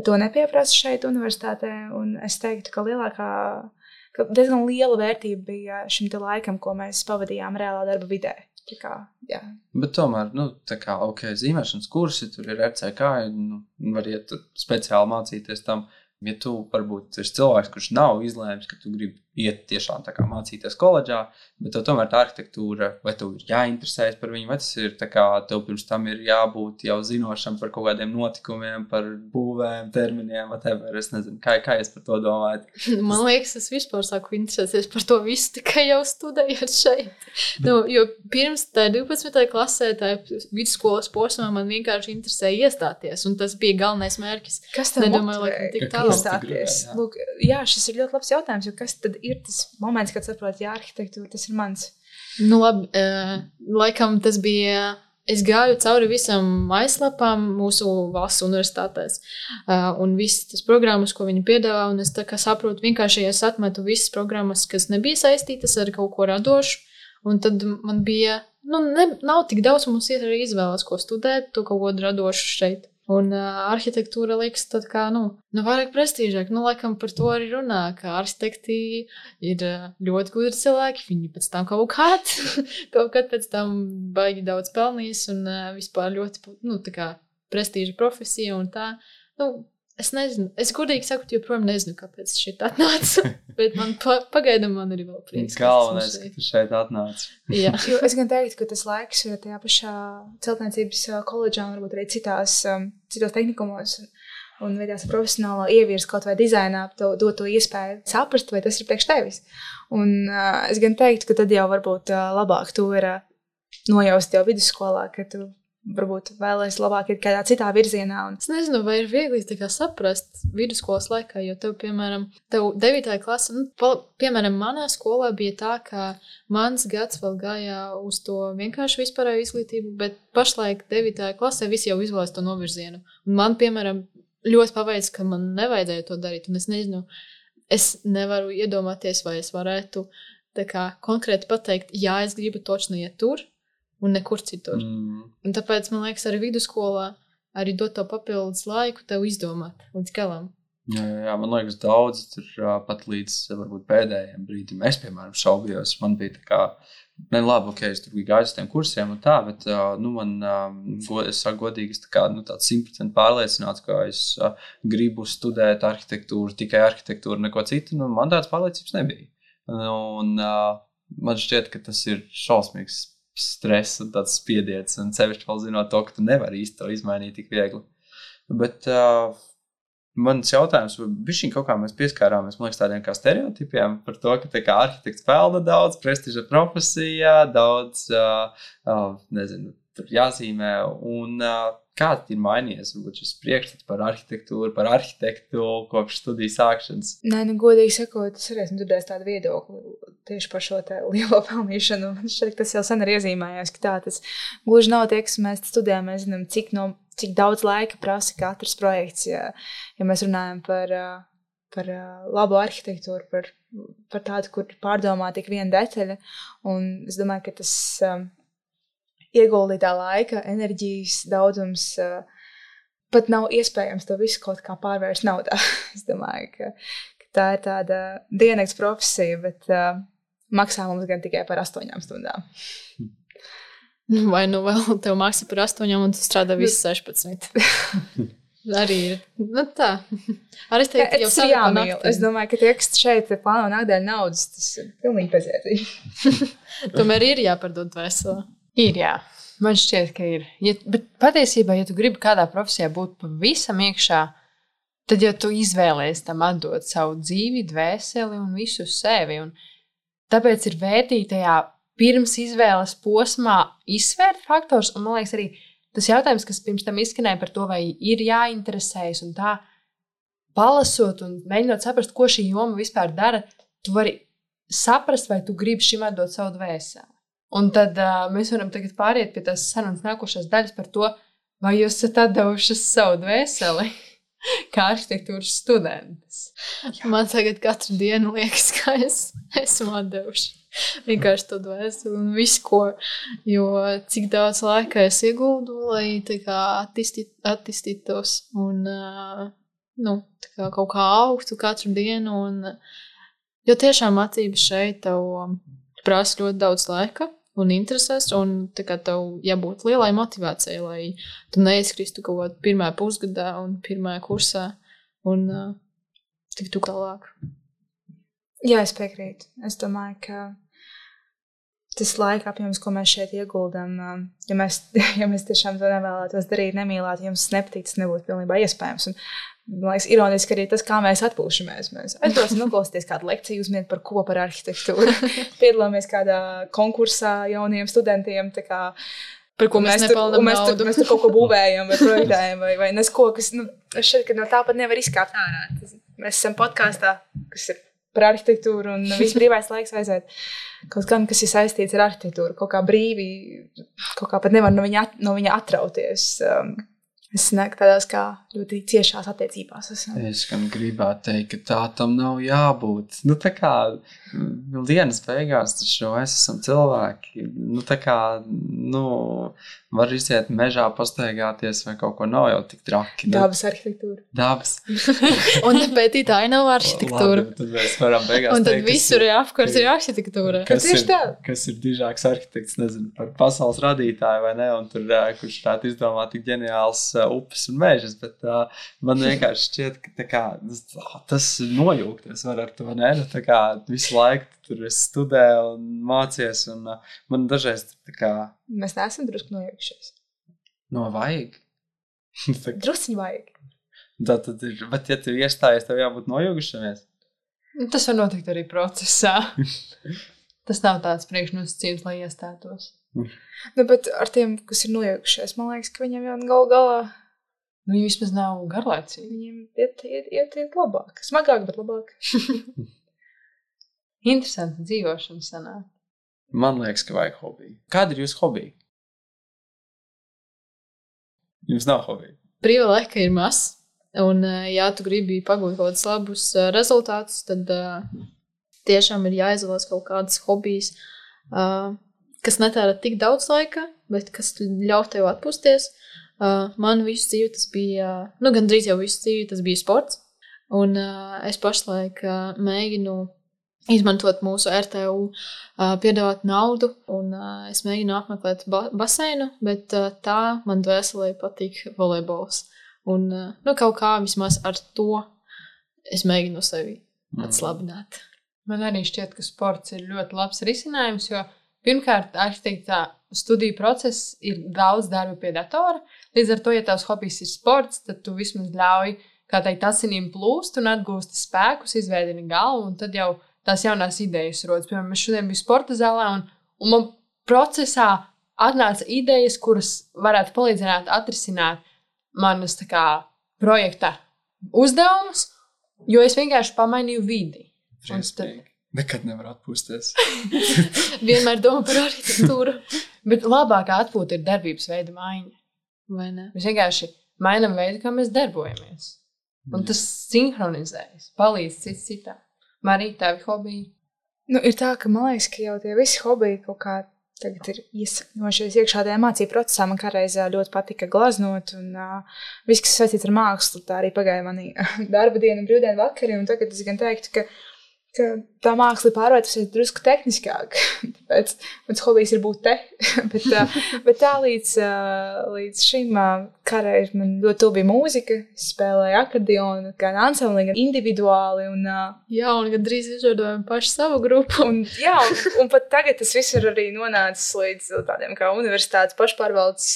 Speaker 2: to nepieprasa šeit universitātē, un es teiktu, ka diezgan liela vērtība bija šim te laikam, ko mēs pavadījām reālā darba vidē. Tā kā, jā.
Speaker 3: Bet tomēr, tā kā, zīmēšanas kursi, tur ir RCK, var iet speciāli mācīties tam. Ja tu varbūt esi cilvēks, kurš nav izlēmis, ka tu gribi iet tiešām tā kā mācīties koledžā, bet tev tomēr tā arhitektūra, vai tev ir jāinteresējas par viņu, vai tas ir tā kā tev pirms tam ir jābūt jau zinošam par kaut kādiem notikumiem, par būvēm, terminiem, whatever, es nezinu, kā es par to domāju.
Speaker 1: Man liekas, es vispār sāku interesēties par to visu tikai jau studējot šeit. Jo pirms tā 12. klasē, tā vidusskolas posmā man vienkārši interesēja iestāties, un tas bija galvenais mērķis.
Speaker 2: Kas tev motivē iestāties? Lūk, jā, šis ir ļoti labs jautājums, jo kas tad ir tas moments, kad saprot, jā, arhitektūra, tas ir mans?
Speaker 1: Labi, laikam tas bija, es gāju cauri visam mājaslapām mūsu valsts universitātēs, un visas tas programmas, ko viņi piedāvā, un es tā kā saprotu, vienkārši es atmetu visas programmas, kas nebija saistītas ar kaut ko radošu, un tad man bija, nav tik daudz, mums ir arī izvēles, ko studēt, to kaut ko radošu šeit. Un arhitektūra liekas tad kā, vairāk prestīžāk. Laikam par to arī runā, ka arhitekti ir ļoti gudri cilvēki. Viņi pēc tam kaut kad pēc tam baigi daudz pelnījis un vispār ļoti, tā kā prestīža profesija un tā. Es nezinu, es godīgi sakot, joprojām nezinu, kāpēc šeit atnāca, bet man pagaidām man arī vēl prieks.
Speaker 3: Galvenais, ka tu šeit atnāc.
Speaker 1: Jā.
Speaker 2: Jo es gan teiktu, ka tas laiks tajā pašā celtniecības koledžā un varbūt arī citos tehnikumos un veidās profesionālā ievirs kaut vai dizainā dot to iespēju saprast, vai tas ir priekš tevis. Un es gan teiktu, ka tad jau varbūt labāk to ir nojaust jau vidusskolā, ka tu varbūt vēlēs labāk ir kādā citā virzienā.
Speaker 1: Es nezinu, vai ir viegli tā kā saprast vidusskolas laikā, jo tev, piemēram, 9. klase, piemēram, manā skolā bija tā, ka mans gads vēl gāja uz to vienkārši vispārēju izglītību, bet pašlaik 9. klasē visi jau izvēlas to novirzienu. Un man, piemēram, ļoti paveic, ka man nevajadzēja to darīt, un es nezinu, es nevaru iedomāties, vai es varētu tā kā konkrēti pateikt, jā, es gribu točni iet tur, un nekur citur. Un tāpēc, man liekas, arī vidusskolā arī dot to papildus laiku tev izdomāt līdz galam.
Speaker 3: Jā, man liekas, daudz tur pat līdz varbūt pēdējiem brīdim. Es, piemēram, šaubījos. Man bija tā kā, labi, ok, es tur gāju uz tiem kursiem un tā, bet, es saku godīgi, es tā kā, tāds 100% pārliecināts, ka es gribu studēt arhitektūru, tikai arhitektūru, neko citu, man tāds pārliecības nebija. Un man šķiet, ka tas ir šausmīgs stress un tāds spiediens, un sevišķi vēl zinot to, ka tu nevari īsti to izmainīt tik viegli. Bet mans jautājums, bišķiņ kaut kā mēs pieskārāmies, man liekas, tādiem kā stereotipiem par to, ka tā kā arhitekts pelna daudz, prestiža profesijā, daudz, nezinu, tur jāzīmē, un kāds ir mainījies, varbūt šis priekšstats par arhitektūru, par arhitektu kopš studiju sākšanas?
Speaker 2: Nē, godīgi sakot, es arī esmu dzirdējis tādu viedokli tieši par šo te lielo pelnīšanu. Man šķiet, tas jau sen ir iezīmējies, ka tā tas gluži nav tie, kas mēs studējam, mēs zinām, cik daudz laika prasa katrs projekts, ja mēs runājam par labu arhitektūru, par tādu, kur pārdomā tik viena detaļa, un es domāju, ka tas ieguldītā laika, enerģijas daudzums pat nav iespējams to visu kaut kā pārvērst naudā. Es domāju, ka tā ir tāda diennakts profesija, bet maksā mums gan tikai par 8 stundām.
Speaker 1: Vai vēl tev maksā par 8 un tu strādā visu 16? Arī ir. Tā. Arī es teiktu, jau
Speaker 2: ir jāmīl. Es domāju, ka tie, kas šeit plāno nākdēļ naudas, tas ir pilnīgi bezjēdzīgi.
Speaker 1: Tomēr ir jāpardod vesela.
Speaker 4: Ir, jā. Man šķiet, ka ir. Bet patiesībā, ja tu gribi kādā profesijā būt pavisam iekšā, tad jau tu izvēlies tam atdot savu dzīvi, dvēseli un visu sevi. Un tāpēc ir vērtīgi tajā pirms izvēles posmā izsvērt faktors. Un man liekas arī tas jautājums, kas pirms tam izskanēja par to, vai ir jāinteresējas un tā, palasot un mēģinot saprast, ko šī joma vispār dara, tu vari saprast, vai tu gribi šim atdot savu dvēseli. Un tad mēs varam tagad pāriet pie tās sarunas nākošās daļas par to, vai jūs esat atdevušas savu dvēseli kā arhitektūras studentes.
Speaker 1: Man tagad katru dienu liekas, ka es esmu atdevuši vienkārši to dvēseli un visu, ko, jo cik daudz laika es ieguldu, lai tā kā attīstītos un tā kā kaut kā augtu katru dienu. Un, jo tiešām mācības šeit tev prasa ļoti daudz laika un intereses, un tā kā tev jābūt lielai motivācijai, lai tu neizkristu kaut kādā pirmajā pusgadā un pirmajā kursā un tiktu tālāk.
Speaker 2: Jā, es piekrītu. Es domāju, ka tas laika apjoms, ko mēs šeit ieguldam, ja mēs tiešām to nevēlētos darīt, nemīlētu, jums nepatīk, tas nebūtu pilnībā iespējams. Un, man liekas, ironiski arī tas, kā mēs atpūšamies. Mēs aizdosim noklausīties kādu lekciju, uzminiet par ko, par arhitektūru. Piedalāmies kādā konkursā jauniem studentiem, tā kā,
Speaker 1: par ko mēs nepelnam naudu.
Speaker 2: Mēs tur kaut ko būvējam vai projektējam vai nesko, kas, šeit, ka no tāpat nevar izkāpt ārā. Mēs esam podkāstā, kas ir par arhitektūru un viss brīvais laiks aiziet kaut gan, kas ir saistīts ar arhitektūru, kaut kā brīvi, kaut kā pat nevar no viņa atrauties. Es nāku tādās kā ļoti ciešās attiecībās.
Speaker 3: Es gan gribētu teikt, ka tā tam nav jābūt. Nu, tā kā dienas beigās taču mēs esam cilvēki. Nu, tā kā, var iziet mežā pastaigāties vai kaut ko nav jau tik traki.
Speaker 2: Dabas arhitektūra.
Speaker 3: Dabas.
Speaker 1: Un pētīt ainavu arhitektūru.
Speaker 3: Labi, tad mēs varam beigās
Speaker 1: Un tad
Speaker 3: teikt,
Speaker 1: visur ir apkārt ir arhitektūra.
Speaker 3: kas ir dižāks arhitekts, nezinu, par pasaules radītāju vai ne, un tur, kurš varētu izdomāt tik ģeniāls upes un mežas, bet man vienkārši šķiet, ka tā kā, tas nojūgties var ar to, ne? Nu, tā kā visu laiku tur es studēju un mācies, un man dažreiz tā kā...
Speaker 2: Mēs neesam drusku nojūgšies.
Speaker 3: Vajag.
Speaker 2: Drusciņi vajag.
Speaker 3: Tad ir, bet ja tu iestājies, tev jābūt nojūgušamies.
Speaker 4: Tas var notikt arī procesā. Tas nav tāds priekšnosacījums, lai iestātos.
Speaker 2: Nu, bet ar tiem, kas ir nojūgušies, man liekas, ka viņiem jau galu galā...
Speaker 4: Nu, viņi vismaz nav garlaicīgi.
Speaker 2: Viņiem iet labāk. Smagāk, bet labāk.
Speaker 4: Interesanti dzīvošana sanāk.
Speaker 3: Man liekas, ka vajag hobiju. Kāda ir jūsu hobija? Jums nav hobija?
Speaker 1: Brīva laika ir maz. Un, ja tu gribi pagūt kaut kādus labus rezultātus, tad tiešām ir jāizvēlas kaut kādas hobijas, kas netērē tik daudz laika, bet kas ļauj tev atpūsties. Man visu dzīvi tas bija, gandrīz jau visu dzīvi tas bija sports. Un es pašlaik mēģinu izmantot mūsu RTU, piedāvāt naudu, un es mēģinu apmeklēt baseinu, bet tā man dvēselē patīk volejbols. Un kaut kā vismaz ar to es mēģinu sevi atslabināt.
Speaker 4: Man arī šķiet, ka sports ir ļoti labs risinājums, jo pirmkārt arhitektā studiju process ir daudz darba pie datora. Līdz ar to, ja tavs hobijs ir sports, tad tu vismaz ļauj, kā teikt, asinīm plūst un atgūsti spēkus, izveidini galvu, un tad jau tās jaunās idejas rodas. Piemēram, es šodien biju sporta zālē, un man procesā atnāca idejas, kuras varētu palīdzināt atrisināt manas tā kā projekta uzdevumus, jo es vienkārši pamainīju vidi.
Speaker 3: Nekad nevar atpūsties.
Speaker 1: Vienmēr domā par arhitektūru.
Speaker 4: Bet labākā atpūta ir darbības veida maiņa.
Speaker 1: Vai ne?
Speaker 4: Mēs vienkārši mainām veidu, kā mēs darbojamies. Un tas sinhronizējas, palīdz cits citam. Marija, tavi hobiji?
Speaker 2: Ir tā, ka man liekas, ka jau tie visi hobiji kaut kā tagad ir iesakņojušies iekšā tajā mācību procesā. Man kādreiz ļoti patika glaznot, un viss, kas saistīts ar mākslu, tā arī pagāja manī darba diena un brīvdienu vakari, un tagad es gan teiktu, ka tā māksla ir pārvērtusies drusku tehniskāk, tāpēc mans hobijs ir būt te, bet tā līdz šim kādreiz man ļoti tuvu bija mūzika, es spēlēju akordionu, gan ansamblī, gan individuāli, un
Speaker 1: jā, un gandrīz izveidojam pašu savu grupu.
Speaker 2: Un pat tagad tas viss ir arī nonācis līdz tādiem kā universitātes pašpārvaldes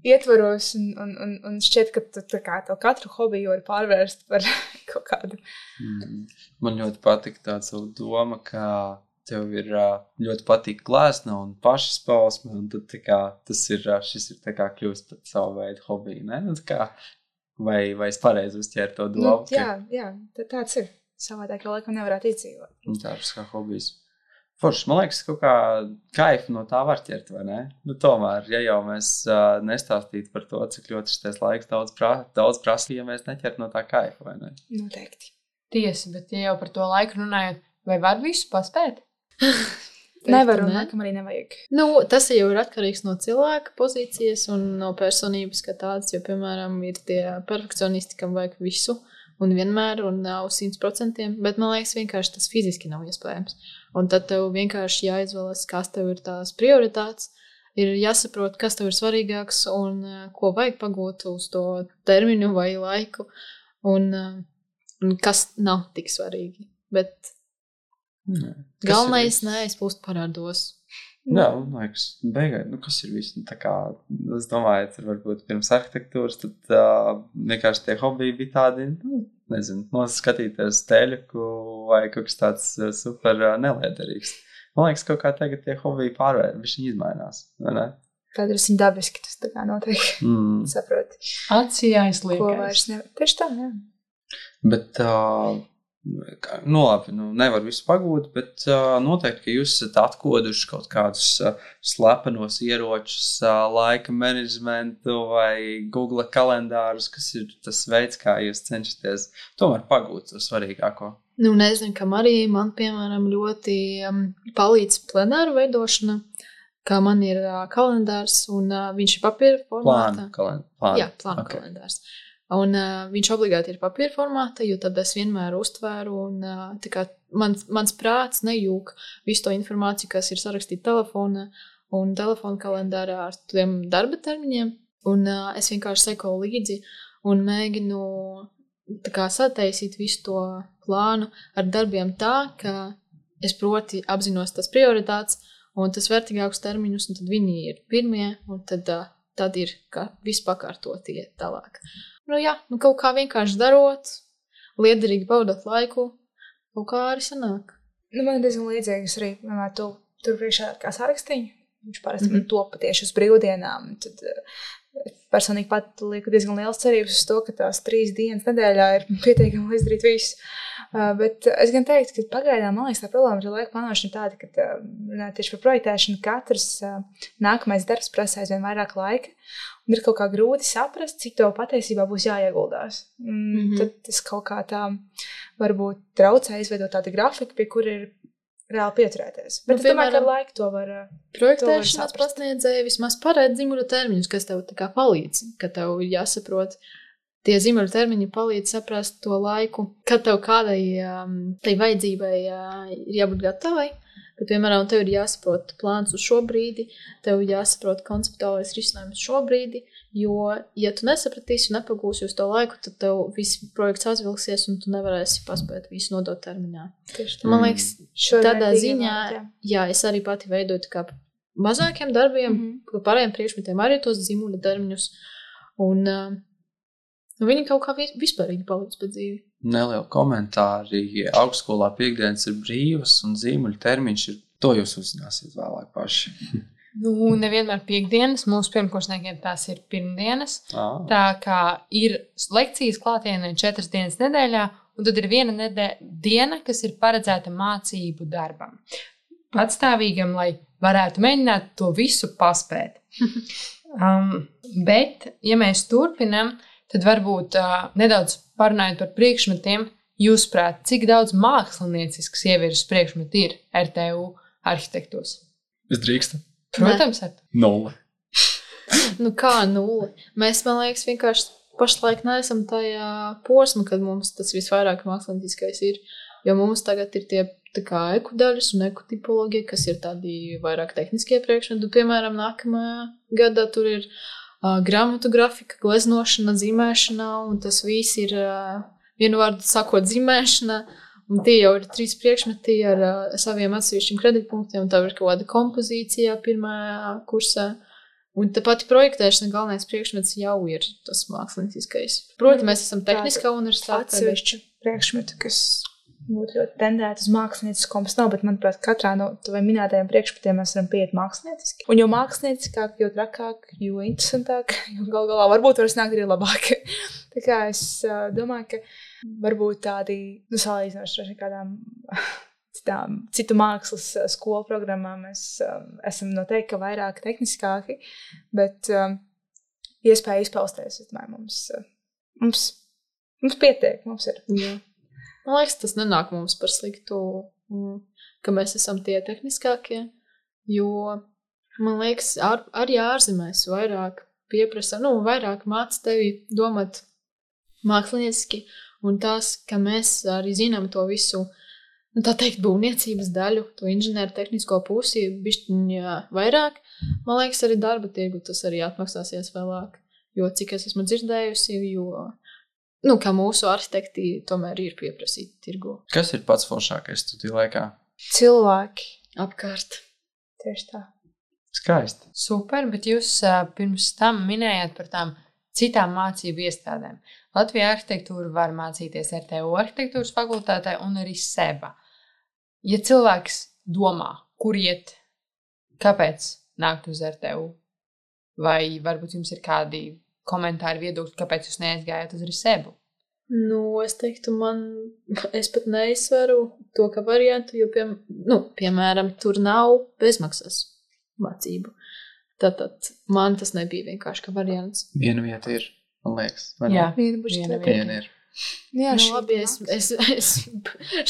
Speaker 2: ietvaros, un šķiet, ka tu katru hobiju var pārvērst par kaut kādu.
Speaker 3: Man ļoti patika tā savu doma, ka tev ir ļoti patīk glezna un pašizpausme, un tad šis ir tā kā kļūst par savu veidu hobiju, ne? Nu, tā kā, vai es pareizi uzķēru to domu?
Speaker 2: Jā, tāds ir. Savādāk jau laikam nevarētu izdzīvot.
Speaker 3: Tāds kā hobijs. Forši, man liekas, kaut kā kaifu no tā var ķert, vai ne? Nu, tomēr, ja jau mēs nestāstītu par to, cik ļoti šis laiks daudz prasa, ja mēs neķert no tā kaifu, vai ne?
Speaker 2: Noteikti.
Speaker 4: Tiesa, bet ja jau par to laiku runājot, vai var visu paspēt?
Speaker 2: Nevaru, un laikam arī nevajag.
Speaker 1: Tas jau ir atkarīgs no cilvēka pozīcijas un no personības kā tāds, jo, piemēram, ir tie perfekcionisti, kam vajag visu un vienmēr un nav 100%, bet man liekas vienkārši tas fiziski nav iespējams. Un tad tev vienkārši jāizvēlas, kas tev ir tās prioritātes, ir jāsaprot, kas tev ir svarīgāks un ko vajag pagūt uz to terminu vai laiku un kas nav tik svarīgi. Bet galvenais neaizplūst parādos.
Speaker 3: Jā, man liekas, beigās, kas ir viss? Tā kā, es domāju, tur varbūt pirms arhitektūras, tad vienkārši tie hobiji bija tādi, nezinu, skatīties teļuku vai kaut kas tāds super neliederīgs. Man liekas, kaut kā tagad tie hobiji viņi izmainās, vai ne?
Speaker 2: Tad ir viņa dabiski, tas tā kā notiek, saproti.
Speaker 4: Acī aizliekais.
Speaker 2: Ko vairs nevar. Tieši tā, jā.
Speaker 3: Bet labi, nevar visu pagūt, bet noteikti, ka jūs esat atkoduši kaut kādus slepenos ieročus, laika menedžmentu vai Google kalendārus, kas ir tas veids, kā jūs cenšaties tomēr pagūt to svarīgāko.
Speaker 1: Nezinu, kam arī man, piemēram, ļoti palīdz plenāru veidošana, kā man ir kalendārs un viņš ir papīra formātā. Jā, plānu okay. Kalendārs. Un viņš obligāti ir papīra formāta, jo tad es vienmēr uztvēru un tā kā mans prāts nejūk visu to informāciju, kas ir sarakstīta telefonā un telefona kalendārā ar tiem darba termiņiem. Un es vienkārši sekoju līdzi un mēģinu tā kā sataisīt visu to plānu ar darbiem tā, ka es proti apzinos tas prioritātes un tas vērtīgākus termiņus, un tad viņi ir pirmie, un tad ir viss pakārtotie tālāk. Kaut kā vienkārši darot, liederīgi baudot laiku, kaut kā arī sanāk.
Speaker 2: Man ir diezgan līdzīgas arī, vienmēr tur priekšā kā sārakstiņu. Viņš parasti man top tieši uz brīvdienām. Tad personīgi pat lieku diezgan liels cerības uz to, ka tās 3 dienas nedēļā ir pietiekami izdarīt visu. Bet es gan teiktu, ka pagaidām, man liekas, tā problēma ar laika plānošanu tāda, ka tieši par projektēšanu katrs nākamais darbs prasa aizvien vairāk laika. Un ir kaut kā grūti saprast, cik tev patiesībā būs jāieguldās. Tad tas kaut kā tā varbūt traucē izveidot tādu grafiku, pie kura ir reāli pieturēties. Bet es domāju, ka ar laiku to var
Speaker 1: projektēšanas pasniedzēji vismaz paredz zimuļu termiņus, kas tev tā kā palīdz, ka tev ir jāsaprot. Tie zimuļu termiņi palīdz saprast to laiku, kad tev kādai tai vajadzībai ir jābūt gatavai. Kad, piemēram, tev ir jāsaprot plāns uz šo brīdi, tev ir jāsaprot konceptuālais risinājums šo brīdi, jo, ja tu nesapratīsi un nepagūsi uz to laiku, tad tev viss projekts aizvilksies un tu nevarēsi paspēt visu nodot termiņā. Man liekas, tādā ziņā, es arī pati veidoju kā mazākiem darbiem, pārējiem priekšmetiem arī tos zimuļu termiņus, un viņi kaut kā vispārīgi palīdz pa dzīvi.
Speaker 3: Neliela komentāri. Augstskolā piekdienas ir brīvas un zīmuļu termiņš ir. To jūs uzzināsiet vēlāk paši.
Speaker 4: Nevienmēr piekdienas. Mūsu pirmkursniekiem tās ir pirmdienas. Tā kā ir lekcijas klātienē 4 dienas nedēļā, un tad ir viena diena, kas ir paredzēta mācību darbam. Patstāvīgam, lai varētu mēģināt to visu paspēt. Bet, ja mēs turpinam, tad varbūt nedaudz parunājot par priekšmetiem, jūsuprāt, cik daudz mākslinieciskas ievirzes priekšmetu ir RTU arhitektos?
Speaker 3: Es drīkstu?
Speaker 4: Protams, ar
Speaker 3: 0.
Speaker 1: Kā 0? Mēs, man liekas, vienkārši pašlaik neesam tajā posmā, kad mums tas visvairāk mākslinieciskais ir. Jo mums tagad ir tie tā kā ekodaļas un ekotipoloģija, kas ir tādi vairāk tehniskie priekšmeti. Piemēram, nākamajā gadā tur ir grāmatu grafika, gleznošana, zīmēšana, un tas viss ir, vienu vārdu sakot, zīmēšana, un tie jau ir 3 priekšmeti ar saviem atsevišķiem kreditpunktiem, un tā ir kaut kāda kompozīcijā pirmajā kursā, un tā pati projektēšana galvenais priekšmets jau ir tas mākslinieciskais. Proti, mēs esam tehniskā universitāte.
Speaker 2: Atsevišķu priekšmetu, kas būtu ļoti tendēta uz māksliniecisko, mums nav, bet, manuprāt, katrā no taviem minētajiem priekšmetiem mēs varam pieiet mākslinieciski. Un jo mākslinieciskāk, jo trakāk, jo interesantāk, jo galā varbūt var snākt arī labāk. Tā kā es domāju, ka varbūt tādi, salīdzinoši ar kādām citu mākslas skolu programmām mēs esam noteikti vairāk tehniskāki, bet iespēja izpausties, es domāju, mums pietiek, mums ir.
Speaker 1: Jā. Man liekas, tas nenāk mums par sliktu, ka mēs esam tie tehniskākie, jo, man liekas, arī ārzemēs vairāk pieprasa, vairāk māca tevi domāt mākslinieciski, un tās, ka mēs arī zinām to visu, tā teikt, būvniecības daļu, to inženieru tehnisko pusi, bišķiņa vairāk, man liekas, arī darba tirgu tas arī atmaksāsies vēlāk, jo cik es esmu dzirdējusi, kā mūsu arhitekti tomēr ir pieprasīti tirgu.
Speaker 3: Kas ir pats foršākais studiju laikā?
Speaker 2: Cilvēki
Speaker 1: apkārt.
Speaker 2: Tieši tā.
Speaker 3: Skaisti.
Speaker 4: Super, bet jūs pirms tam minējāt par tām citām mācību iestādēm. Latvijā arhitektūru var mācīties RTU arhitektūras fakultātē un arī SEBA. Ja cilvēks domā, kur iet, kāpēc nākt uz RTU? Vai varbūt jums ir kādi komentāri viedokļi, kāpēc jūs neaizgājāt uz SEBU?
Speaker 1: Es teiktu, es pat neizsveru to, ka variantu, jo, piemēram, tur nav bezmaksas mācību. Tātad man tas nebija vienkārši kā variants.
Speaker 3: Viena vieta ir, man liekas.
Speaker 4: Jā,
Speaker 3: viena ir.
Speaker 2: Jā,
Speaker 1: Labi, es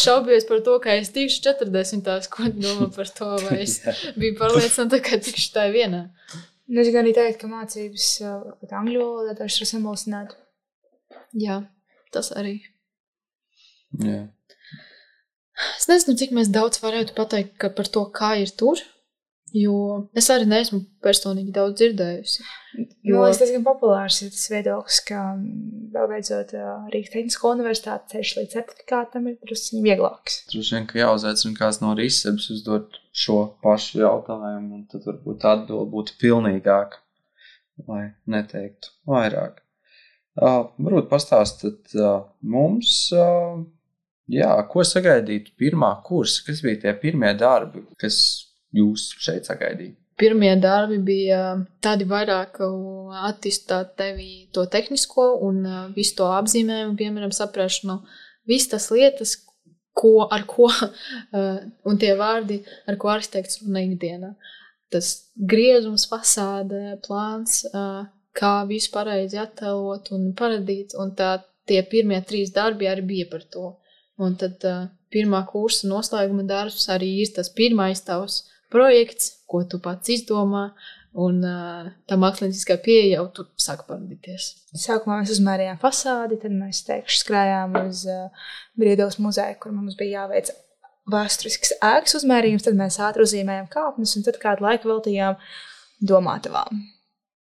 Speaker 1: šaubījos par to, ka es tikšu 40. Ko domā par to, vai es biju pārliecināta, ka tikšu tā vienā.
Speaker 2: Es gan arī teikt, ka mācības pat angļu valodā taču ir samulsināta.
Speaker 1: Jā. Tas arī.
Speaker 3: Jā.
Speaker 1: Es nezinu, cik mēs daudz varētu pateikt par to, kā ir tur, jo es arī neesmu personīgi daudz dzirdējusi.
Speaker 2: Jo es diezgan populārs ir tas viedoklis, ka vēl beidzot Rīgas Tehnisko universitāti ceļš līdz certifikātam ir drusciņi vieglāks.
Speaker 3: Droši vien, ka jāuzaicina kāds no Rīsebes uzdot šo pašu jautājumu, un tad varbūt atbilde būtu pilnīgāka, lai neteiktu vairāk. Varbūt pastāstat mums, ko sagaidīt pirmā kursa, kas bija tie pirmie darbi, kas jūs šeit sagaidīja?
Speaker 1: Pirmie darbi bija tādi vairāk attīstāt tevi to tehnisko un visu to apzīmējumu, piemēram, saprašanu, visas tas lietas, un tie vārdi, ar ko arhitekts runā ikdienā. Tas griezums, fasāde, plāns, kā visu pareizi attēlot un paradīt, un tie pirmie 3 darbi arī bija par to. Un tad pirmā kursa noslēguma darbs arī ir tas pirmais tavs projekts, ko tu pats izdomā, un tā mākslinieckā pieeja jau tu sāk paradīties.
Speaker 2: Sākumā mēs uzmērījām fasādi, tad mēs skrējām uz Briedavas muzeju, kur mums bija jāveic vēsturisks ēkas uzmērījums, tad mēs ātri uzzīmējām kāpnes, un tad kādu laiku veltījām domātavām.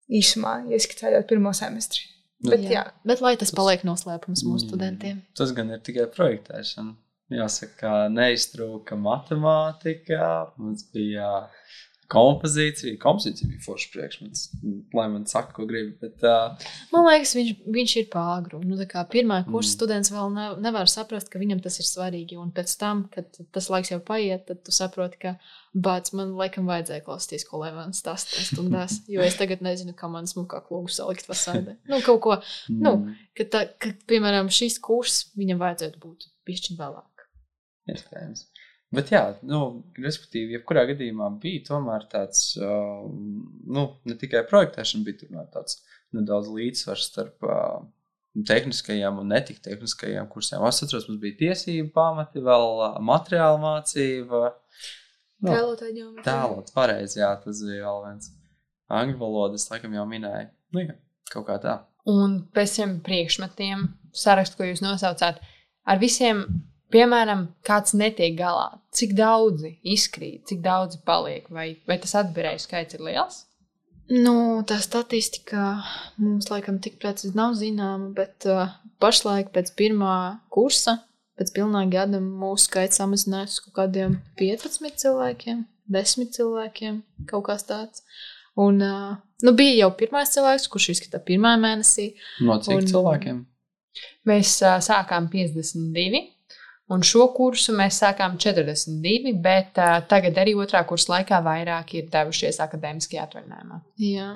Speaker 2: Īsumā ieskicējot pirmo semestri.
Speaker 1: Bet lai tas paliek noslēpums mūsu studentiem.
Speaker 3: Tas gan ir tikai projektēšana. Jāsaka, neiztrūka matemātika, mums bija kompozīcija. Kompozīcija bija foršs priekšmets, lai man saka, ko grib. Bet,
Speaker 1: man liekas, viņš ir pāragru. Pirmā kursa students vēl nevar saprast, ka viņam tas ir svarīgi. Un pēc tam, kad tas laiks jau paiet, tad tu saproti, ka man laikam vajadzēja klausīties, ko lai man stāsta stundās. Jo es tagad nezinu, kā man smukāk logu salikt fasādē. Kaut ko, ka, piemēram, šis kurs viņam vajadzētu būt bišķiņ vēlāk.
Speaker 3: Iespējams. Bet jā, respektīvi, jebkurā gadījumā bija tomēr tāds, ne tikai projektēšana, bija tomēr tāds nedaudz līdzsvars starp tehniskajām un netik tehniskajām kursiem. Es atceros, mums bija tiesība pamati, vēl materiāla mācība. Tēlot, pareizi, jā, tas bija vēl viens. Angļu valodas, laikam jau minēja. Kaut kā tā.
Speaker 4: Un pēc tiem priekšmetiem, sarakstu, ko jūs nosaucāt, ar visiem... Piemēram, kāds netiek galā, cik daudzi izkrīt, cik daudzi paliek, vai tas atbirēju skaits ir liels?
Speaker 1: Tā statistika mums laikam tik precīzi nav zināma, bet pašlaik pēc pirmā kursa, pēc pilnā gada mūsu skaits samazinājās kaut kādiem 15 cilvēkiem, 10 cilvēkiem, kaut kāds tāds. Un bija jau pirmais cilvēks, kurš izskatā pirmā mēnesī.
Speaker 3: No cik cilvēkiem?
Speaker 4: Mēs sākām 52. Un šo kursu mēs sākām 42, bet tagad arī otrā kursa laikā vairāk ir devušies akadēmiskajā atvaļinājumā.
Speaker 1: Jā.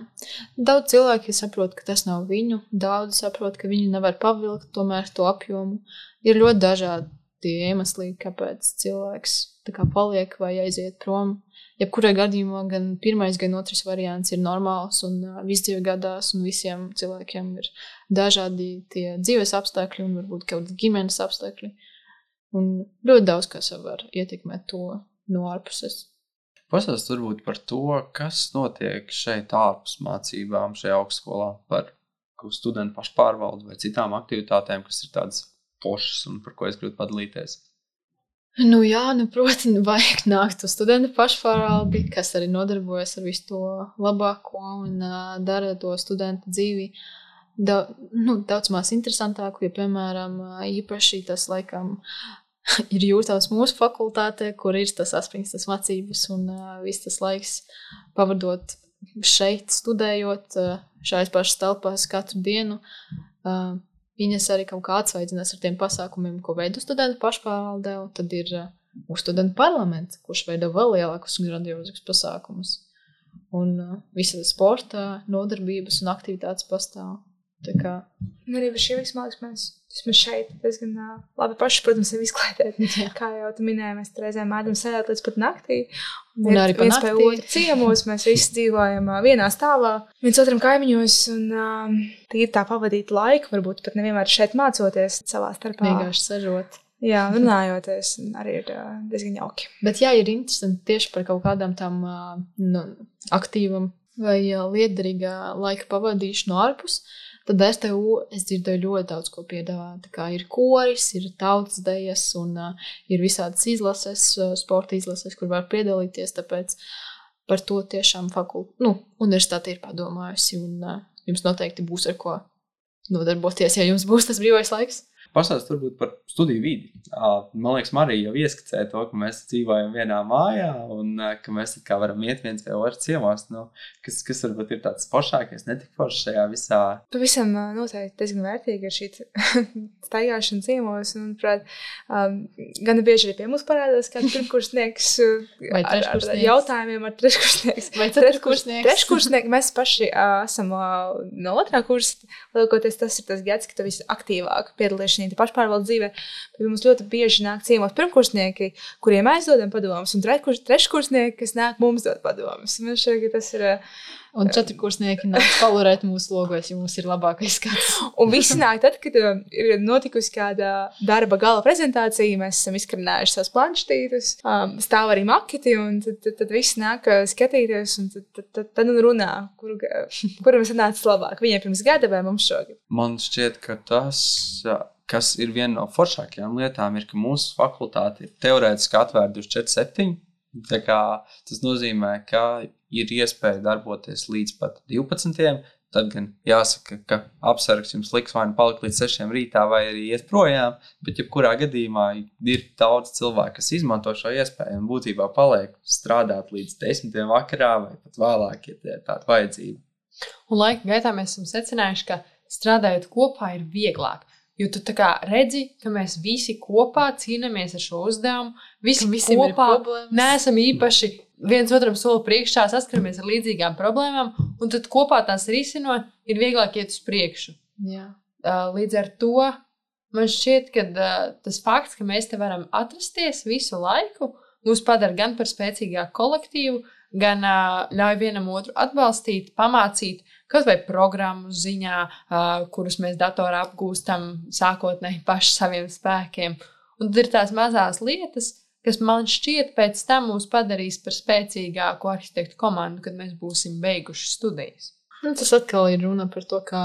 Speaker 1: Daudz cilvēki saprot, ka tas nav viņu. Daudz saprot, ka viņi nevar pavilkt tomēr to apjomu. Ir ļoti dažādi iemesli, kāpēc cilvēks paliek vai aiziet prom. Jebkurā gadījumā gan pirmais, gan otrs variants ir normāls un viss dzīve gadās, un visiem cilvēkiem ir dažādi tie dzīves apstākļi un varbūt kaut kādi ģimenes apstākļi. Un ļoti daudz, kas var ietekmēt to no ārpuses.
Speaker 3: Pastāst varbūt par to, kas notiek šeit ārpus mācībām šajā augstskolā par studentu pašpārvaldu vai citām aktivitātēm, kas ir tādas pošas un par ko es gribu padalīties.
Speaker 1: Protams, vajag nākt uz studentu pašpārvaldi, kas arī nodarbojas ar visu to labāko un dara to studentu dzīvi daudz maz interesantāku, jo, piemēram, īpaši tas laikam ir jūtams mūsu fakultātē, kur ir tas aspringtas mācības un viss tas laiks pavadot šeit, studējot šais pašas telpās katru dienu. Viņas arī kaut kā atsvaidzinās ar tiem pasākumiem, ko veido studentu pašpārvaldē, un tad ir mūsu studentu parlaments, kurš veido vēl lielākus un grandiozus pasākumus. Un visas sporta nodarbības un aktivitātes pastāv. Tā kā
Speaker 2: Arī par šī visu, man liekas, mēs šeit diezgan labi paši, protams, sevi izklaidēt. Kā jau tu minēji, mēs reizēm mēdam sēdēt līdz pat naktī.
Speaker 1: Un arī pa
Speaker 2: viens pie
Speaker 1: naktī.
Speaker 2: otra ciemos, mēs visi dzīvojam vienā stāvā, viens otram kaimiņos un tīri tā pavadīt laiku, varbūt pat nevienmēr šeit mācoties savā starpā.
Speaker 1: vienkārši sežot.
Speaker 2: Jā, runājoties, arī ir diezgan jauki.
Speaker 1: Bet jā, ir interesanti tieši par kaut kādām tām aktīvam vai liederīgā laika pavadīšanu ārpus. Tad STU es dzirdēju ļoti daudz ko piedāvā. Tā kā ir koris, ir tautas dejas un ir visādas izlases, sporta izlases, kur var piedalīties. Tāpēc par to tiešām universitāte ir padomājusi un jums noteikti būs ar ko nodarboties, ja jums būs tas brīvais laiks.
Speaker 3: Pastāst varbūt par studiju vidi. Man liekas, Marija jau ieskicēja to, ka mēs dzīvojam vienā mājā un ka mēs kā varam iet viens pie otra ciemos. Kas varbūt ir tāds foršākais, netik foršs šajā visā?
Speaker 2: Pavisam noteikti diezgan vērtīgi ir šī staigāšana ciemos. Un, prāt, gan bieži arī pie mums parādās kāds pirmkursnieks ar jautājumiem ar treškursnieks.
Speaker 1: Vai ceturtkursnieks?
Speaker 2: Treškursnieki. Mēs paši esam no otrā kursa. Lielākoties tas ir tas gads, ka tu visi aktīvāk piedalīšies pašpārvaldes dzīvē. Bet mums ļoti bieži nāk ciemos pirmkursnieki, kuriem mēs dodam padomus, un treškursnieki, kas nāk mums dot padomus. Man šķiet, ka tas ir...
Speaker 1: Un ceturtkursnieki nāk palurēt mūsu logos, ja mums ir labākais skats.
Speaker 2: Un visi nāk tad, kad ir notikusi kāda darba gala prezentācija, mēs esam izkarinājuši savus planštītus, stāv arī maketi, un tad visi nāk skatīties, un tad runā, kuram sanāca labāk. Viņiem pirms gada vai mums šogad?
Speaker 3: Man šķiet, ka tas, kas ir viena no foršākajām lietām, ir, ka mūsu fakultāte ir teorētiski atvērta 24/7. Tā kā tas nozīmē, ka ir iespēja darboties līdz pat 12. Tad gan jāsaka, ka apsargs jums liks vai nu palikt līdz 6 rītā vai arī iet projām, bet jebkurā gadījumā ir daudz cilvēku, kas izmanto šo iespēju un būtībā paliek strādāt līdz 10 vakarā vai pat vēlāk, ja tie ir tāda vajadzība.
Speaker 4: Un laika gaitā mēs esam secinājuši, ka strādājot kopā ir vieglāk. Jo tu tā kā redzi, ka mēs visi kopā cīnāmies ar šo uzdevumu, visi kopā neesam īpaši viens otram soli priekšā, saskaramies ar līdzīgām problēmām, un tad kopā tās risinot, ir vieglāk iet uz priekšu.
Speaker 1: Jā.
Speaker 4: Līdz ar to man šķiet, ka tas fakts, ka mēs te varam atrasties visu laiku, mūs padara gan par spēcīgāku kolektīvu, gan ļauj vienam otru atbalstīt, pamācīt, kaut vai programmu ziņā, kurus mēs datorā apgūstam sākotnēji paši saviem spēkiem. Un tad ir tās mazās lietas, kas man šķiet pēc tam mūs padarīs par spēcīgāku arhitektu komandu, kad mēs būsim beiguši studijas.
Speaker 1: Tas atkal ir runa par to, kā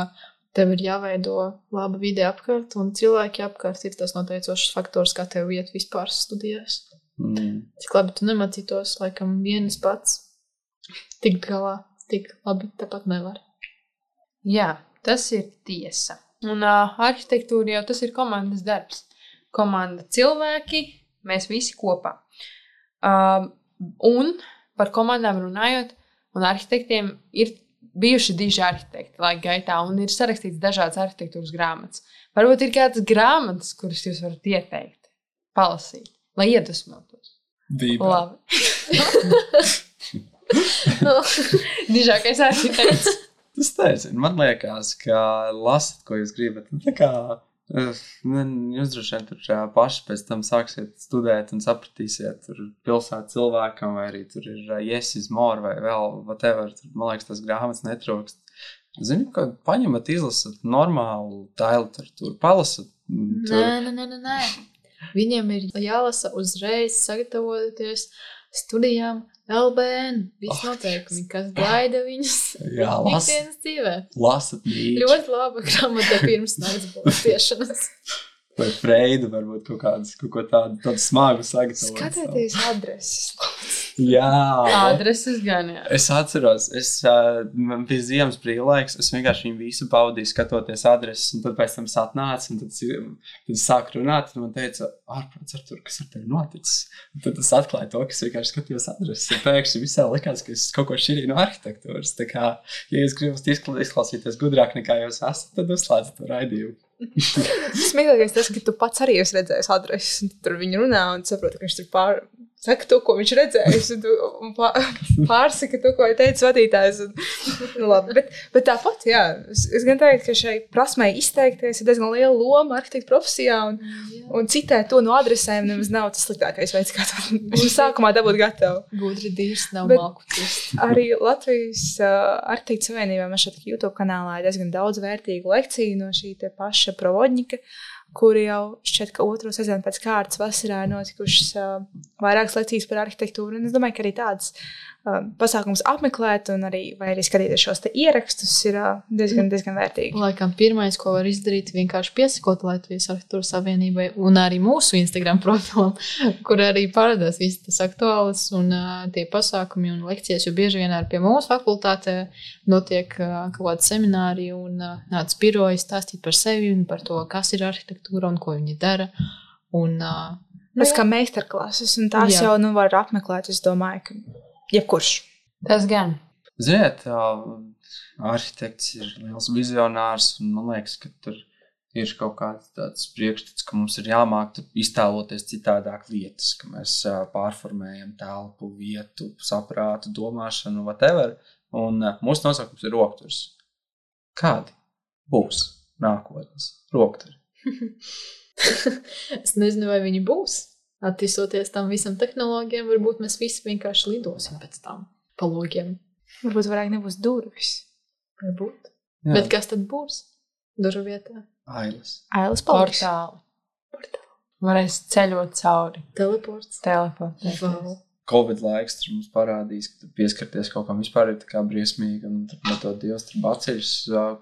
Speaker 1: tev ir jāveido laba vide apkārt, un cilvēki apkārt ir tas noteicošs faktors, kā tev iet vispār studijās. Cik labi tu nemācītos, laikam vienas pats tikt galā, tik labi tāpat nevar.
Speaker 4: Jā, tas ir tiesa. Un arhitektūra jau tas ir komandas darbs. Komanda cilvēki, mēs visi kopā. Un par komandām runājot, un arhitektiem ir bijuši diži arhitekti laika gaitā, un ir sarakstīts dažādas arhitektūras grāmatas. Varbūt ir kādas grāmatas, kuras jūs varat ieteikt, palasīt, lai iedvesmotos. Labi. Dižākais arhitekts.
Speaker 3: Tas nezinu, man liekas, ka lasat, ko jūs gribat. Tā kā jūs droši vien tur paši pēc tam sāksiet studēt un sapratīsiet tur pilsētu cilvēkam, vai arī tur ir yes is more vai vēl whatever. Tur, man liekas, tas grāmatas netrūkst. Zinu, ka paņemat, izlasat normālu tā literatūru, palasat.
Speaker 1: Nē. Viņiem ir jālasa uzreiz sagatavoties studijām LBN. Viss noteikumi, kas gaida viņus ikdienas dzīvē.
Speaker 3: Lasat mīļi.
Speaker 1: Ļoti laba grāmata pirms nakts balstiešanas.
Speaker 3: Vai Freidu varbūt kaut ko tādu smagu sagatavot.
Speaker 2: Skatieties adreses.
Speaker 3: Jā.
Speaker 4: Adreses gan, jā.
Speaker 3: Es atceros, man bija ziemas brīvlaiks, es vienkārši viņu visu baudīju skatoties adreses, un tad pēc tam satnācu, un tad sāku runāt, un man teica, ārprāts Artur, kas ar tevi noticis? Un tad es atklāju to, ka es vienkārši skatījos adreses, un pēkšņi visā likās, ka es kaut ko šķirīju no arhitektūras. Tā kā, ja jūs gribat izklausīties gudrāk nekā jūs esat, tad uzslēdzat to raidījumu.
Speaker 2: Smieklīgais tas, ka tu pats arī esi redzējis adreses, un tur viņi runā un saproti, ka viņš tur saka to, ko viņš redzējis, un pārsaka to, ko teica vadītājs. Nu, labi, bet tāpat, jā, es gan teiktu, ka šai prasmei izteikties ir diezgan liela loma arhitekta profesijā, un citēt to no adresēm nemaz nav tas sliktākais veids, kā to sākumā dabūt gatavu.
Speaker 1: Gudri dīrs nav malku cist.
Speaker 2: Arī Latvijas arhitekta savienībā man šeit YouTube kanālā ir diezgan daudz vērtīgu lekciju no šī te paša Provodņika, kuri jau šķiet, ka otro sezonu pēc kārtas vasarā ir notikušas vairākas lekcijas par arhitektūru. Un es domāju, ka arī tādas pasākums apmeklēt un arī, vai arī skatīties šos te ierakstus ir diezgan vērtīgi.
Speaker 1: Laikam pirmais, ko var izdarīt, vienkārši piesakot Latvijas arhitektūras savienībai un arī mūsu Instagram profilam, kur arī parādās visi tas aktuāls un tie pasākumi un lekcijas, jo bieži vien arī pie mūsu fakultātē notiek kaut kādi semināri un nāc biroji stāstīt par sevi un par to, kas ir arhitektūra un ko viņi dara. Un,
Speaker 2: tas kā meistarklases, un tās jau var apmeklēt, es domāju, ka jebkurš.
Speaker 4: Tas gan.
Speaker 3: Ziniet, arhitekts ir liels vizionārs, un man liekas, ka tur ir kaut kāds tāds priekšstats, ka mums ir jāmāk iztēloties citādāk lietas, ka mēs pārformējam telpu, vietu, saprātu, domāšanu, whatever, un mūsu nosaukums ir rokturs. Kādi būs nākotnes rokturi?
Speaker 1: Es nezinu, vai viņi būs. Attīstoties tam visam tehnoloģiem, varbūt mēs visi vienkārši lidosim pēc tam pa logiem.
Speaker 2: Varbūt vairāk nebūs durvis.
Speaker 1: Varbūt.
Speaker 3: Jā.
Speaker 1: Bet kas tad būs durvu vietā?
Speaker 3: Ailes.
Speaker 2: Ailes paliks.
Speaker 4: Portāli. Varēs ceļot cauri.
Speaker 1: Teleports.
Speaker 4: Teleportēties.
Speaker 1: Wow.
Speaker 3: Covid laiks tur mums parādīs, ka tur pieskarties kaut kam vispār ir tā kā briesmīgi, un tur metot Dievs tur baceļus,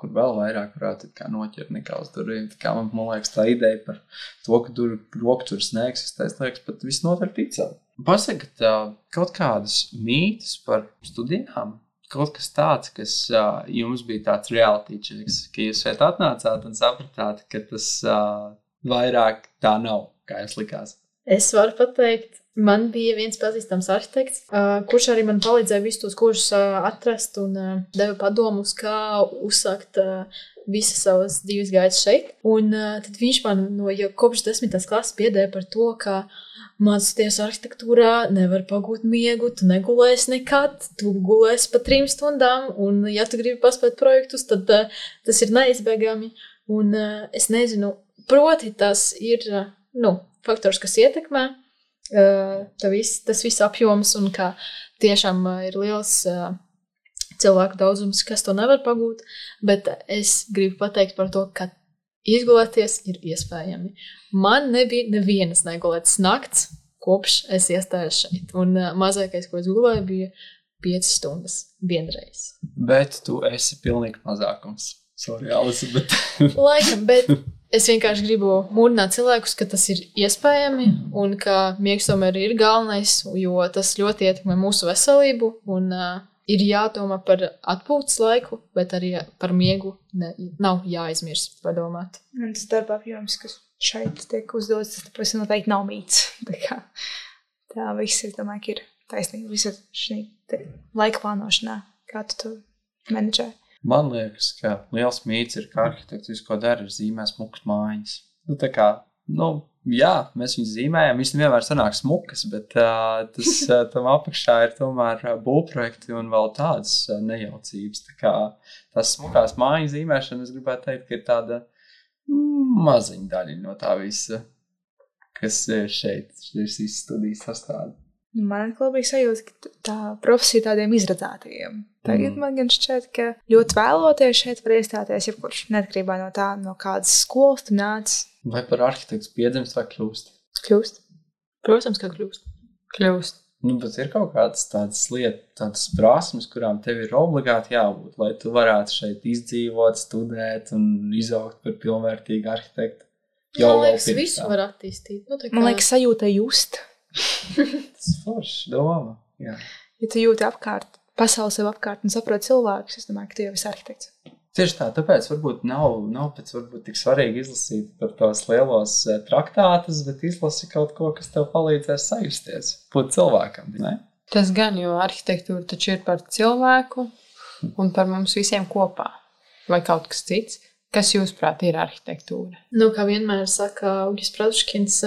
Speaker 3: kur vēl vairāk varētu kā noķert nekā uz durvīm. Tā kā man liekas tā ideja par to, ka rokturs neeksistēs, liekas pat visnotaļ ticam. Pasakat kaut kādas mītas par studijām, kaut kas tāds, kas jums bija tāds reality checks, ka jūs šeit atnācāt un sapratāt, ka tas vairāk tā nav, kā jums likās.
Speaker 1: Es varu pateikt, man bija viens pazīstams arhitekts, kurš arī man palīdzēja visus tos kursus atrast un deva padomus, kā uzsākt visas savas dzīves gaitas šeit. Un tad viņš man jau kopš 10. klases biedēja par to, ka mācoties arhitektūrā nevar pagūt miegu, tu negulēsi nekad, tu gulēsi pa 3 stundām, un ja tu gribi paspēt projektus, tad tas ir neizbēgami. Un es nezinu, proti tas ir, faktors, kas ietekmē tas viss apjoms un kā tiešām ir liels cilvēku daudzums, kas to nevar pagūt, bet es gribu pateikt par to, ka izgulēties ir iespējami. Man nebija nevienas negulētas nakts, kopš es iestājos šeit, un mazākais, ko es gulēju, bija 5 stundas vienreiz.
Speaker 3: Bet tu esi pilnīgi mazākums. Sorry, Alisa, bet...
Speaker 1: Laikam, bet es vienkārši gribu mūdināt cilvēkus, ka tas ir iespējami un ka miegs tomēr ir galvenais, jo tas ļoti ietekmē mūsu veselību un ir jādomā par atpūtas laiku, bet arī par miegu nav jāaizmirst padomāt.
Speaker 2: Un tas darba apjoms, kas šeit tiek uzdots, tas noteikti nav mīts. Tā viss, es domāju, ka ir taisnība visa šī laika plānošanā, kā tu to menedžē.
Speaker 3: Man liekas, ka liels mīts ir, ka arhitekts visu, ko dara, ir zīmē smukas mājas. Tā kā, jā, mēs viņus zīmējam, viņš nevienmēr sanāk smukas, bet tam apakšā ir tomēr būvprojekti un vēl tādas nejaucības. Tā kā tās smukās mājas zīmēšana, es gribētu teikt, ka ir tāda maziņa daļa no tā visa, kas ir šeit, šīs studijas sastāda.
Speaker 2: Man atkal bija sajūta, ka tā profesija tādiem izredzētajiem. Tagad man gan šķiet, ka ļoti vēloties šeit var iestāties jebkurš, neatkarībā no tā, no kādas skolas tu nāc.
Speaker 3: Vai par arhitektu piedzimst vai kļūst?
Speaker 2: Kļūst.
Speaker 1: Protams, ka kļūst.
Speaker 4: Kļūst.
Speaker 3: Bet ir kaut kādas tādas lietas, tādas prasmes, kurām tev ir obligāti jābūt, lai tu varētu šeit izdzīvot, studēt un izaugt par pilnvērtīgu arhitektu.
Speaker 1: Man liekas, visu var attīstīt.
Speaker 2: Man liekas, sajūta just.
Speaker 3: Tas forši doma, jā.
Speaker 2: Ja tu jūti apkārt, pasauli sev apkārt un saproti cilvēkus, es domāju, ka tu jau esi arhitekts.
Speaker 3: Tieši tā, tāpēc varbūt nav pēc varbūt tik svarīgi izlasīt par tos lielos traktātus, bet izlasi kaut ko, kas tev palīdzēs sajusties, būt cilvēkam, ne?
Speaker 4: Tas gan, jo arhitektūra taču ir par cilvēku un par mums visiem kopā. Vai kaut kas cits? Kas jūsuprāt ir arhitektūra?
Speaker 1: Kā vienmēr saka Augis Praduškins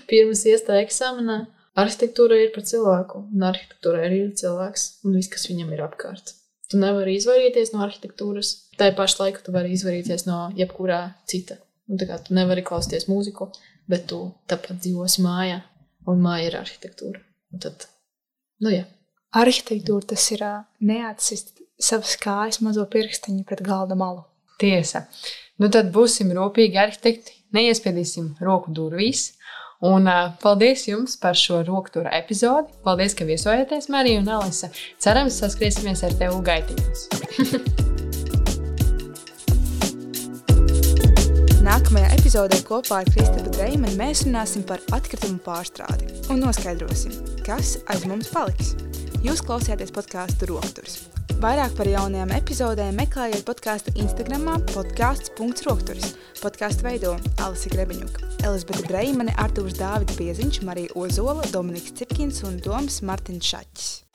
Speaker 1: pirms iestāja eksāmenā, arhitektūra ir par cilvēku, un arhitektūra ir cilvēks, un viss, kas viņam ir apkārt. Tu nevari izvairīties no arhitektūras, tā pašā laikā tu vari izvairīties no jebkurā cita. Un tā kā tu nevari klausīties mūziku, bet tu tāpat dzīvosi mājā, un māja ir arhitektūra. Un tad, jā.
Speaker 2: Arhitektūra tas ir neatsist savas kājas mazo pirkstiņu pret galda malu.
Speaker 4: Tiesa. Tad būsim rūpīgi arhitekti, neiespiedīsim roku durvīs. Un paldies jums par šo roktūra epizodi. Paldies, ka viesojāties, Marija un Alisa. Cerams, saskriesimies ar tevi gaitiņos.
Speaker 2: Nākamajā epizodē kopā ar Kristapu Dreimani mēs runāsim par atkritumu pārstrādi un noskaidrosim, kas aiz mums paliks. Jūs klausījāties podcastu Rokturs. Vairāk par jaunajām epizodēm meklējiet podcastu Instagramā podcasts.rokturis. Podcastu veido Alisa Grebeņuka, Elizabete Dreimane, Artūrs Dāvids Bieziņš, Marija Ozola, Dominiks Cipkins un Doms Martins Šaķis.